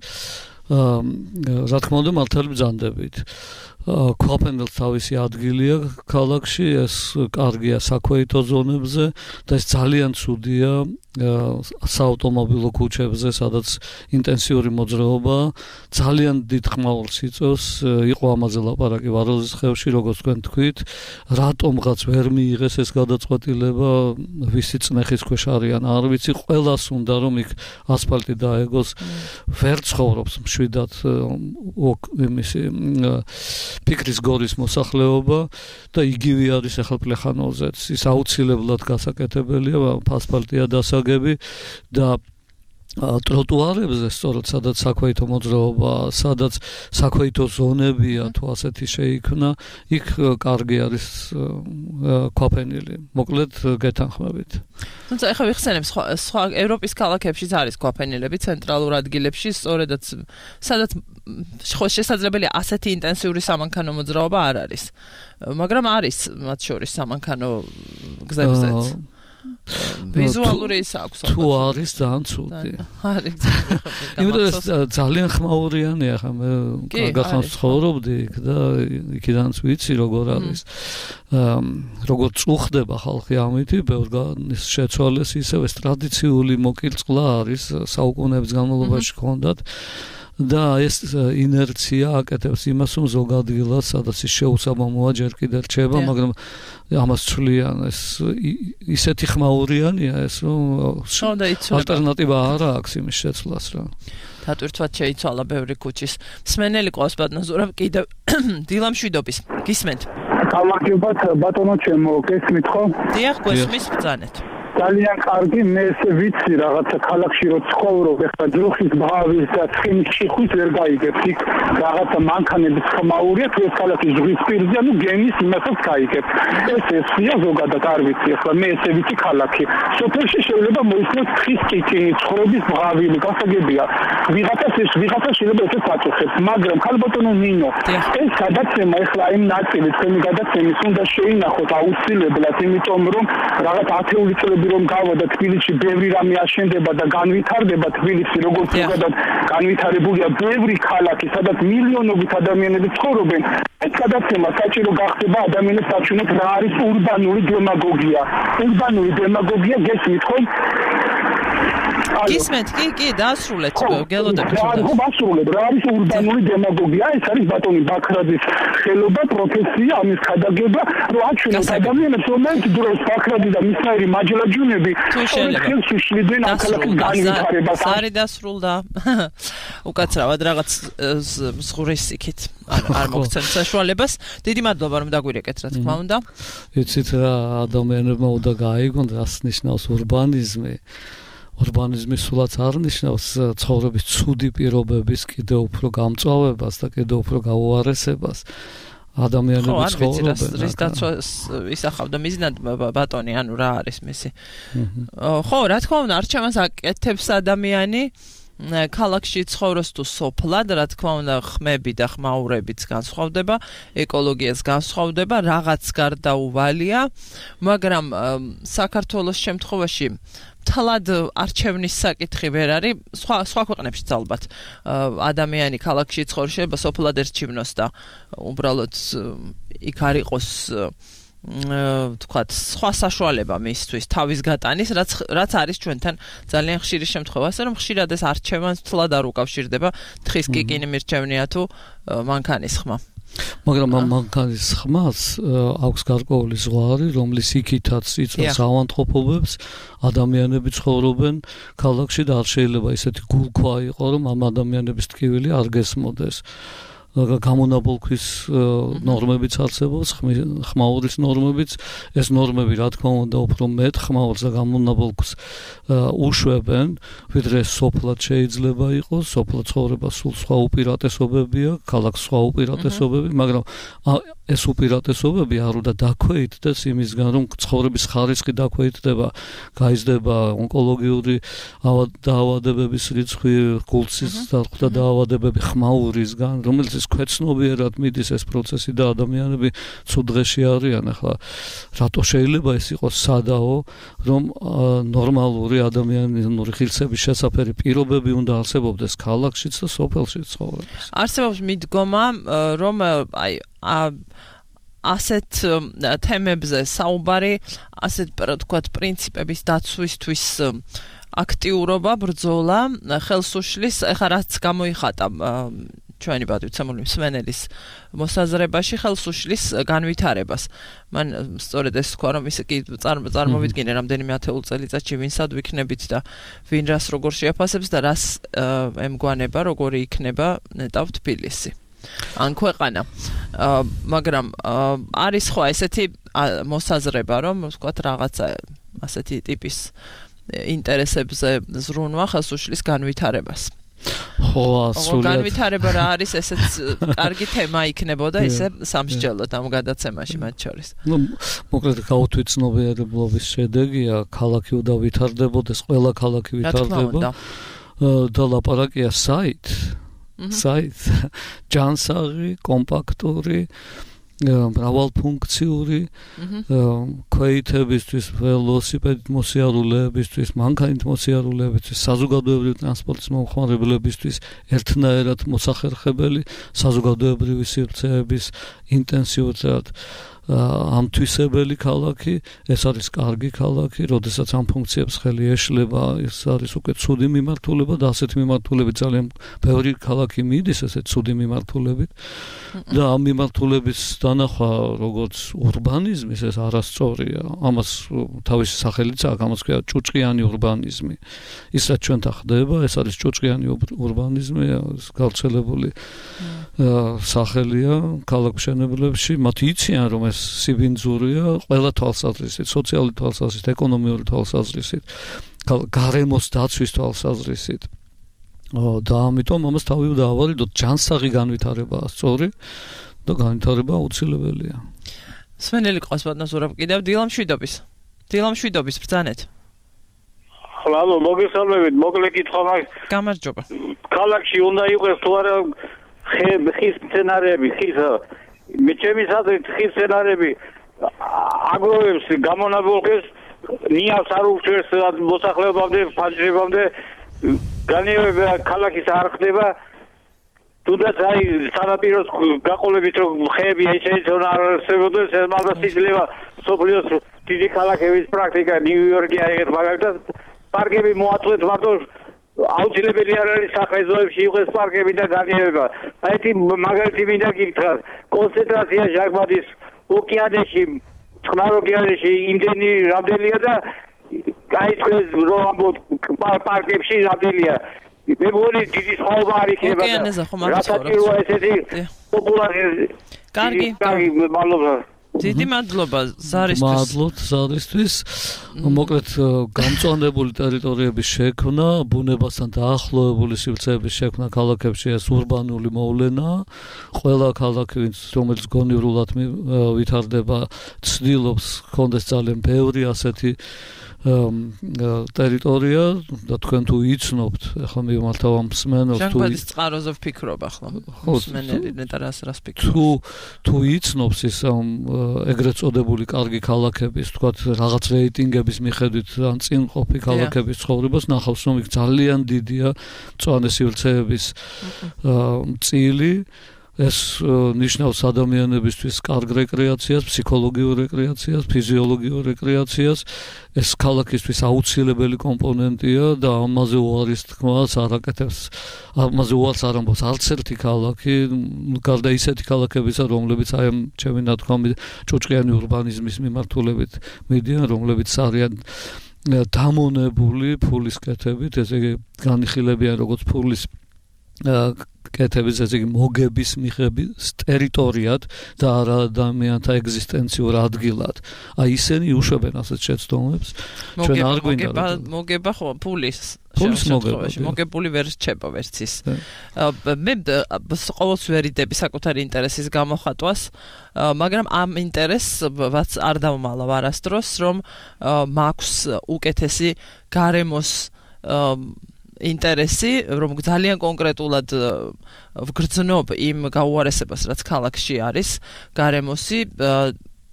რა თქმა უნდა მართალი ბრძანდებით. ქვაფენელს თავისი ადგილია ქალაქში, ეს კარგია საქვეითო ზონებზე და ეს ძალიან ცუდია საავტომობილო ქუჩებზე, სადაც ინტენსიური მოძრაობაა. ძალიან დიდ ხმაურს იწვევს, იყო ამაზე ლაპარაკი ვაროზის ხევში, როგორც თქვენ თქვით, რატომღაც ვერ მიიღეს ეს გადაწყვეტილება, ვისი წნეხის ქვეშ არიან, არ ვიცი, ყველას უნდა რომ იქ ასფალტი დაეგოს, ვერ ცხოვრობს მშვიდად იმისი ფიქრის გორის მოსახლეობა და იგივე არის ახლა პლეხანოვზეც. ის აუცილებლად გასაკეთებელია, ასფალტია დასაგები და ტროტუარებზე, სწორედ სადაც საქვეითო მოძრაობა, სადაც საქვეითო ზონებია, თუ ასეთი შეიქმნა, იქ კარგი არის ქვაფენილი. მოკლედ გეთანხმებით. თუმცა ეხლა ვიხსენებ სხვა სხვა ევროპის ქალაქებშიც არის ქვაფენილები ცენტრალურ ადგილებში, სწორედაც სადაც ხო შესაძლებელია ასეთი ინტენსიური სამანქანო მოძრაობა არ არის. მაგრამ არის მათ შორის სამანქანო გზებზეც. ვიზუალური ის აქვს. თუ არის ძალიან ცუდი. არის. იმიტომ ეს ძალიან ხმაურიანია ხა მე გახანს ცხოვრობდი იქ და იქიდანაც ვიცი როგორ არის. როგორ წუხდება ხალხი ამითი, ბევრგან შეცვალეს ისევ ეს ტრადიციული მოკილწყლა არის საუკუნეების განმავლობაში ჰქონდათ. და ეს ინერცია აკეთებს იმას, რომ ზოგადად სადაც ის შეუსაბამოა ჯერ კიდევ რჩება, მაგრამ ამას ცვლიან ეს ისეთი ხმაურიანია ეს, რომ ალტერნატივა არ აქვს იმის შეცვლას რა. დატვირთვათ შეიცვალა ბევრი ქუჩის. მსმენელი ყავს ბატონო ზურაბ კიდევ დილამშვიდობის. გისმენთ? გამარჯობათ ბატონო ჩემო, გესმით ხო? დიახ, გესმის ბრძანეთ. ძალიან კარგი, მე ესე ვიცი რაღაცა ქალაქში რო ცხოვრობ, ეხლა ძროხის ბავის და ცხინის შიხვის ვერ გაიგებს. იქ რაღაცა მანქანების ხმაურია, თუ ეს ქალაქი ზღვის პირზე, ну გემის იმასაც გაიგებს. ეს ესია ზოგადად არ ვიცი, ეხლა მე ესე ვიცი ქალაქი. სოფელში შეიძლება მოისმოს ცხის კიკინი, ცხოვრების ბავილი, გასაგებია. ვიღაცას ეს ვიღაცა შეიძლება ესე საწუხებს, მაგრამ ხალბატონო ნინო, ეს გადაცემა ეხლა იმ ნაწილი თქვენი გადაცემის უნდა შეინახოთ აუცილებლად, იმიტომ რომ რაღაც ათეული წლები რომ გავა და თბილისში ბევრი რამე აშენდება და განვითარდება თბილისი როგორც ზოგადად განვითარებულია ბევრი ქალაქი სადაც მილიონობით ადამიანები ცხოვრობენ ეს გადაცემა საჭირო გახდება ადამიანებს საჩვენოთ რა არის ურბანული დემაგოგია ურბანული დემაგოგია გესმით ხო გისმენთ კი კი დაასრულეთ გელოდებით რა დაასრულეთ რა არის ურბანული დემაგოგია ეს არის ბატონი ბაქრაძის ხელობა პროფესია ამის ხადაგება რომ აჩვენოს ადამიანებს რომელიც დროს ბაქრაძე და მისნაირი მაჯლაჯუნები ხელს უშლიდნენ ამ ქალაქის განვითარებას სარი დასრულდა უკაცრავად რაღაც მსხურის იქით არ მოგცემთ საშუალებას დიდი მადლობა რომ დაგვირეკეთ რა თქმა უნდა იცით რა ადამიანებმა უნდა გაიგონ რას ნიშნავს ურბანიზმი ურბანიზმი სულაც არ ნიშნავს ცხოვრების ცუდი პირობების კიდევ უფრო გამწვავებას და კიდევ უფრო გაუარესებას ადამიანები ცხოვრობენ. ხო, რის დაცვას ისახავდა მიზნად ბატონი, ანუ რა არის მისი. ხო, რა თქმა უნდა, არჩევანს აკეთებს ადამიანი ქალაქში ცხოვრობს თუ სოფლად, რა თქმა უნდა, ხმები და ხმაურებიც განსხვავდება, ეკოლოგიაც განსხვავდება, რაღაც გარდაუვალია, მაგრამ საქართველოს შემთხვევაში თლად არჩევნის საკითხი ვერ არის, სხვა სხვა ქვეყნებშიც ალბათ ადამიანი ქალაქში ცხოვრობს, შეიძლება სოფლად ერჩივნოს და უბრალოდ იქ არ იყოს თქვათ სხვა საშუალება მისთვის თავის გატანის, რაც რაც არის ჩვენთან ძალიან ხშირი შემთხვევა, ასე რომ ხშირად ეს არჩევანს თლად არ უკავშირდება, თხის კიკინი მირჩევნია თუ მანქანის ხმა. მაგრამ ამ მანქანის ხმას აქვს გარკვეული ზღვარი, რომლის იქითაც იწვევს ავანტყოფობებს, ადამიანები ცხოვრობენ ქალაქში და არ შეიძლება ისეთი გულქვა იყო, რომ ამ ადამიანების ტკივილი არ გესმოდეს. გამონაბოლქვის ნორმებიც არსებობს, ხმაურის ნორმებიც, ეს ნორმები რა თქმა უნდა უფრო მეტ ხმაურს და გამონაბოლქს უშვებენ, ვიდრე სოფლად შეიძლება იყოს, სოფლად ცხოვრება სულ სხვა უპირატესობებია, ქალაქს სხვა უპირატესობები, მაგრამ ეს უპირატესობები არ უნდა დაქვეითდეს იმისგან, რომ ცხოვრების ხარისხი დაქვეითდება, გაიზრდება ონკოლოგიური დაავადებების რიცხვი, გულსის და დაავადებები ხმაურისგან, რომელიც ის ქვეცნობიერად მიდის ეს პროცესი და ადამიანები ცუდ დღეში არიან. ახლა რატო შეიძლება ეს იყოს სადაო, რომ ნორმალური ადამიანური ღირსების შესაფერი პირობები უნდა არსებობდეს ქალაქშიც და სოფელშიც ცხოვრებას. არსებობს მიდგომა, რომ აი ასეთ თემებზე საუბარი, ასეთ თქვათ პრინციპების დაცვისთვის აქტიურობა, ბრძოლა, ხელსუშლის, ეხლა რაც გამოიხატა ჩვენი პატრიცემული მსმენელის მოსაზრებაში ხელსუშლის განვითარებას. მან სწორედ ეს თქვა, რომ ის კი წარმოვიდგინე რამდენიმე ათეულ წელიწადში ვინსად ვიქნებით და ვინ რას როგორ შეაფასებს და რას ემგვანება, როგორი იქნება ნეტავ თბილისი. ან ქვეყანა. მაგრამ არის ხო ესეთი მოსაზრება, რომ ვთქვათ რაღაცა ასეთი ტიპის ინტერესებზე ზრუნვა ხელსუშლის განვითარებას. ხო, ასრულებად. განვითარება რა არის, ესეც კარგი თემა იქნებოდა ისე სამსჯელოდ ამ გადაცემაში მათ შორის. ნუ მოკლედ გაუთვიცნობიერებლობის შედეგია, ქალაქი უნდა ვითარდებოდეს, ყველა ქალაქი ვითარდება და ლაპარაკია საით საით ჯანსაღი, კომპაქტური მრავალფუნქციური ქვეითებისთვის, ველოსიპედით მოსიარულეებისთვის, მანქანით მოსიარულეებისთვის, საზოგადოებრივი ტრანსპორტის მომხმარებლებისთვის ერთნაირად მოსახერხებელი საზოგადოებრივი სივრცეების ინტენსიურად ამთვისებელი ქალაქი, ეს არის კარგი ქალაქი, როდესაც ამ ფუნქციებს ხელი ეშლება, ეს არის უკვე ცუდი მიმართულება და ასეთი მიმართულებით ძალიან ბევრი ქალაქი მიდის ესეთ ცუდი მიმართულებით და ამ მიმართულების დანახვა როგორც ურბანიზმის ეს არასწორია, ამას თავისი სახელიც აქვს, ამას ქვია ჭუჭყიანი ურბანიზმი. ის რაც ჩვენთან ხდება, ეს არის ჭუჭყიანი ურბანიზმი, გავრცელებული სახელია ქალაქმშენებლებში, მათ იციან რომ ეს სიბინძურია ყველა თვალსაზრისით, სოციალური თვალსაზრისით, ეკონომიური თვალსაზრისით, გარემოს დაცვის თვალსაზრისით. და ამიტომ ამას თავი დაავარიდოთ, ჯანსაღი განვითარებაა სწორი და განვითარება აუცილებელია. სვენელი ყავს ბატონო კიდევ დილამშვიდობის. დილამშვიდობის ბრძანეთ. ხლალო, მოგესალმებით, მოკლე კითხვა მაქვს. გამარჯობა. ქალაქში უნდა იყოს თუ არა ხის სცენარები, ხის მე ჩემი საზრით ხის სცენარები აგროვებს გამონაბოლქეს ნიავს არ უჩვენს მოსახლეობამდე, ფანჯრებამდე განიერება ქალაქის არ ხდება თუნდაც აი სანაპიროს გაყოლებით რომ ხეები ესე ისე არ არსებობდეს ეს მაგას იძლევა სოფლიოს დიდი ქალაქების პრაქტიკა ნიუ-იორკი აიღეთ მაგალითად პარკები მოაწყვეთ მარტო აუცილებელი არ არის სახელმწიფოებში იყოს პარკები და განიერება. აი ეს მაგალითი მინდა გითხრათ. კონცენტრაცია ჟანგბადის ოკეანეში, წყნარ ოკეანეში იმდენი რამდენია და აი ეს რომ ამბობ პარკებში რამდენია. მე მგონი დიდი სხვაობა არ იქნება. ოკეანეზე ხომ არ ცხოვრობს. რატო ესეთი პოპულარი კარგი, კარგი მადლობა. დიდი მადლობა ზარისთვის. მადლობთ ზარისთვის. მოკლედ გამწვანებული ტერიტორიების შექმნა, ბუნებასთან დაახლოებული სივრცეების შექმნა ქალაქებში ეს ურბანული მოვლენაა. ყველა ქალაქი, რომელიც გონივრულად ვითარდება, ცდილობს ჰქონდეს ძალიან ბევრი ასეთი ტერიტორია და თქვენ თუ იცნობთ, ახლა მიმართავ ამ მსმენელს თუ ჟანგბადის წყაროზე ვფიქრობ ახლა. მსმენელი ნეტა რას რას ფიქრობს. თუ თუ იცნობს ის ეგრეთ წოდებული კარგი ქალაქების, თქვათ რაღაც რეიტინგების მიხედვით ან წინყოფი ქალაქების ცხოვრებას ნახავს, რომ იქ ძალიან დიდია მწვანე სივრცეების წილი. ეს ნიშნავს ადამიანებისთვის კარგ რეკრეაციას, ფსიქოლოგიურ რეკრეაციას, ფიზიოლოგიურ რეკრეაციას. ეს ქალაქისთვის აუცილებელი კომპონენტია და ამაზე უარის თქმას არ აკეთებს. ამაზე უარს არ ამბობს არც ერთი ქალაქი, გარდა ისეთი ქალაქებისა, რომლებიც აი ამ ჩემი ნათქვამი ჭუჭყიანი ურბანიზმის მიმართულებით მიდიან, რომლებიც არიან დამონებული ფულის კეთებით, ესე იგი განიხილებიან როგორც ფულის კეთების, ესე იგი მოგების მიღების ტერიტორიად და არა ადამიანთა ეგზისტენციურ ადგილად. აი ისინი უშვებენ ასეთ შეცდომებს. ჩვენ არ გვინდა მოგება ხო ფულის ფულის მოგება. მოგებული ვერ რჩება ვერცის. მე ყოველს ვერიდები საკუთარი ინტერესის გამოხატვას, მაგრამ ამ ინტერესს არ დავმალავ არასდროს, რომ მაქვს უკეთესი გარემოს ინტერესი, რომ ძალიან კონკრეტულად ვგრძნობ იმ გაუარესებას, რაც ქალაქში არის, გარემოსი,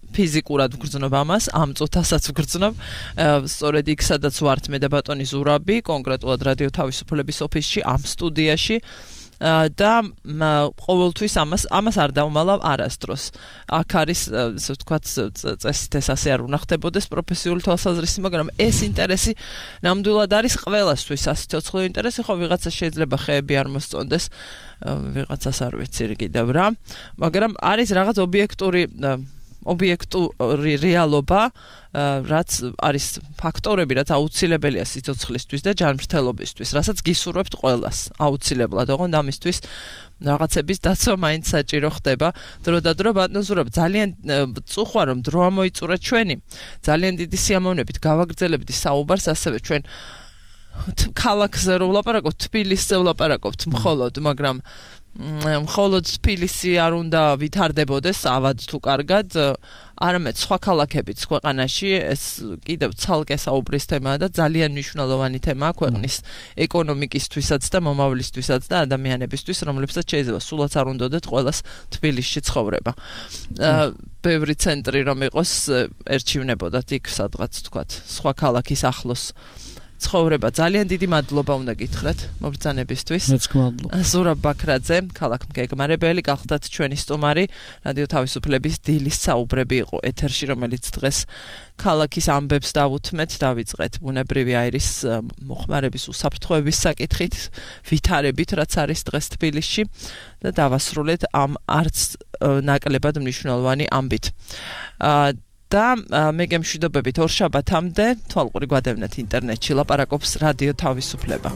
ფიზიკურად ვგრძნობ ამას, ამ წუთასაც ვგრძნობ, სწორედ იქ სადაც ვართ მე და ბატონი ზურაბი, კონკრეტულად რადიო თავისუფლების ოფისში, ამ სტუდიაში და ყოველთვის ამას ამას არ დავმალავ არასდროს. აქ არის, ასე ვთქვათ, წესით ეს ასე არ უნდა ხდებოდეს პროფესიული თვალსაზრისით, მაგრამ ეს ინტერესი ნამდვილად არის ყველასთვის ასეთი ცოცხლო ინტერესი, ხო ვიღაცა შეიძლება ხეები არ მოსწონდეს, ვიღაცას არ ვიცი კიდევ რა, მაგრამ არის რაღაც ობიექტური ობიექტური რეალობა, რაც არის ფაქტორები, რაც აუცილებელია სიცოცხლისთვის და ჯანმრთელობისთვის, რასაც გისურვებთ ყველას აუცილებლად, ოღონდ ამისთვის რაღაცების დაცვა მაინც საჭირო ხდება. დრო და დრო ბატონო ზურაბ, ძალიან წუხვა რომ დრო ამოიწურა ჩვენი, ძალიან დიდი სიამოვნებით გავაგრძელებთ საუბარს, ასევე ჩვენ ქალაქზე რო ვლაპარაკობთ, თბილისზე ვლაპარაკობთ მხოლოდ, მაგრამ მხოლოდ თბილისი არ უნდა ვითარდებოდეს ავად თუ კარგად, არამედ სხვა ქალაქებიც ქვეყანაში ეს კიდევ ცალკე საუბრის თემაა და ძალიან მნიშვნელოვანი თემაა ქვეყნის ეკონომიკისთვისაც და მომავლისთვისაც და ადამიანებისთვის, რომლებსაც შეიძლება სულაც არ უნდათ ყველას თბილისში ცხოვრება. ბევრი ცენტრი რომ იყოს, ერჩივნებოდათ იქ სადღაც თქვათ, სხვა ქალაქის ახლოს ცხოვრება. ძალიან დიდი მადლობა უნდა გითხრათ მობრძანებისთვის. მეც გმადლობ. ზურაბ ბაქრაძე, ქალაქ მგეგმარებელი, გახლდათ ჩვენი სტუმარი, რადიო თავისუფლების დილის საუბრები იყო ეთერში, რომელიც დღეს ქალაქის ამბებს დავუთმეთ, დავიწყეთ ბუნებრივი აირის მოხმარების უსაფრთხოების საკითხით, ვითარებით, რაც არის დღეს თბილისში და დავასრულეთ ამ არც ნაკლებად მნიშვნელოვანი ამბით. და მე გემშვიდობებით ორშაბათამდე თვალყური გვადევნეთ ინტერნეტში ლაპარაკობს რადიო თავისუფლება.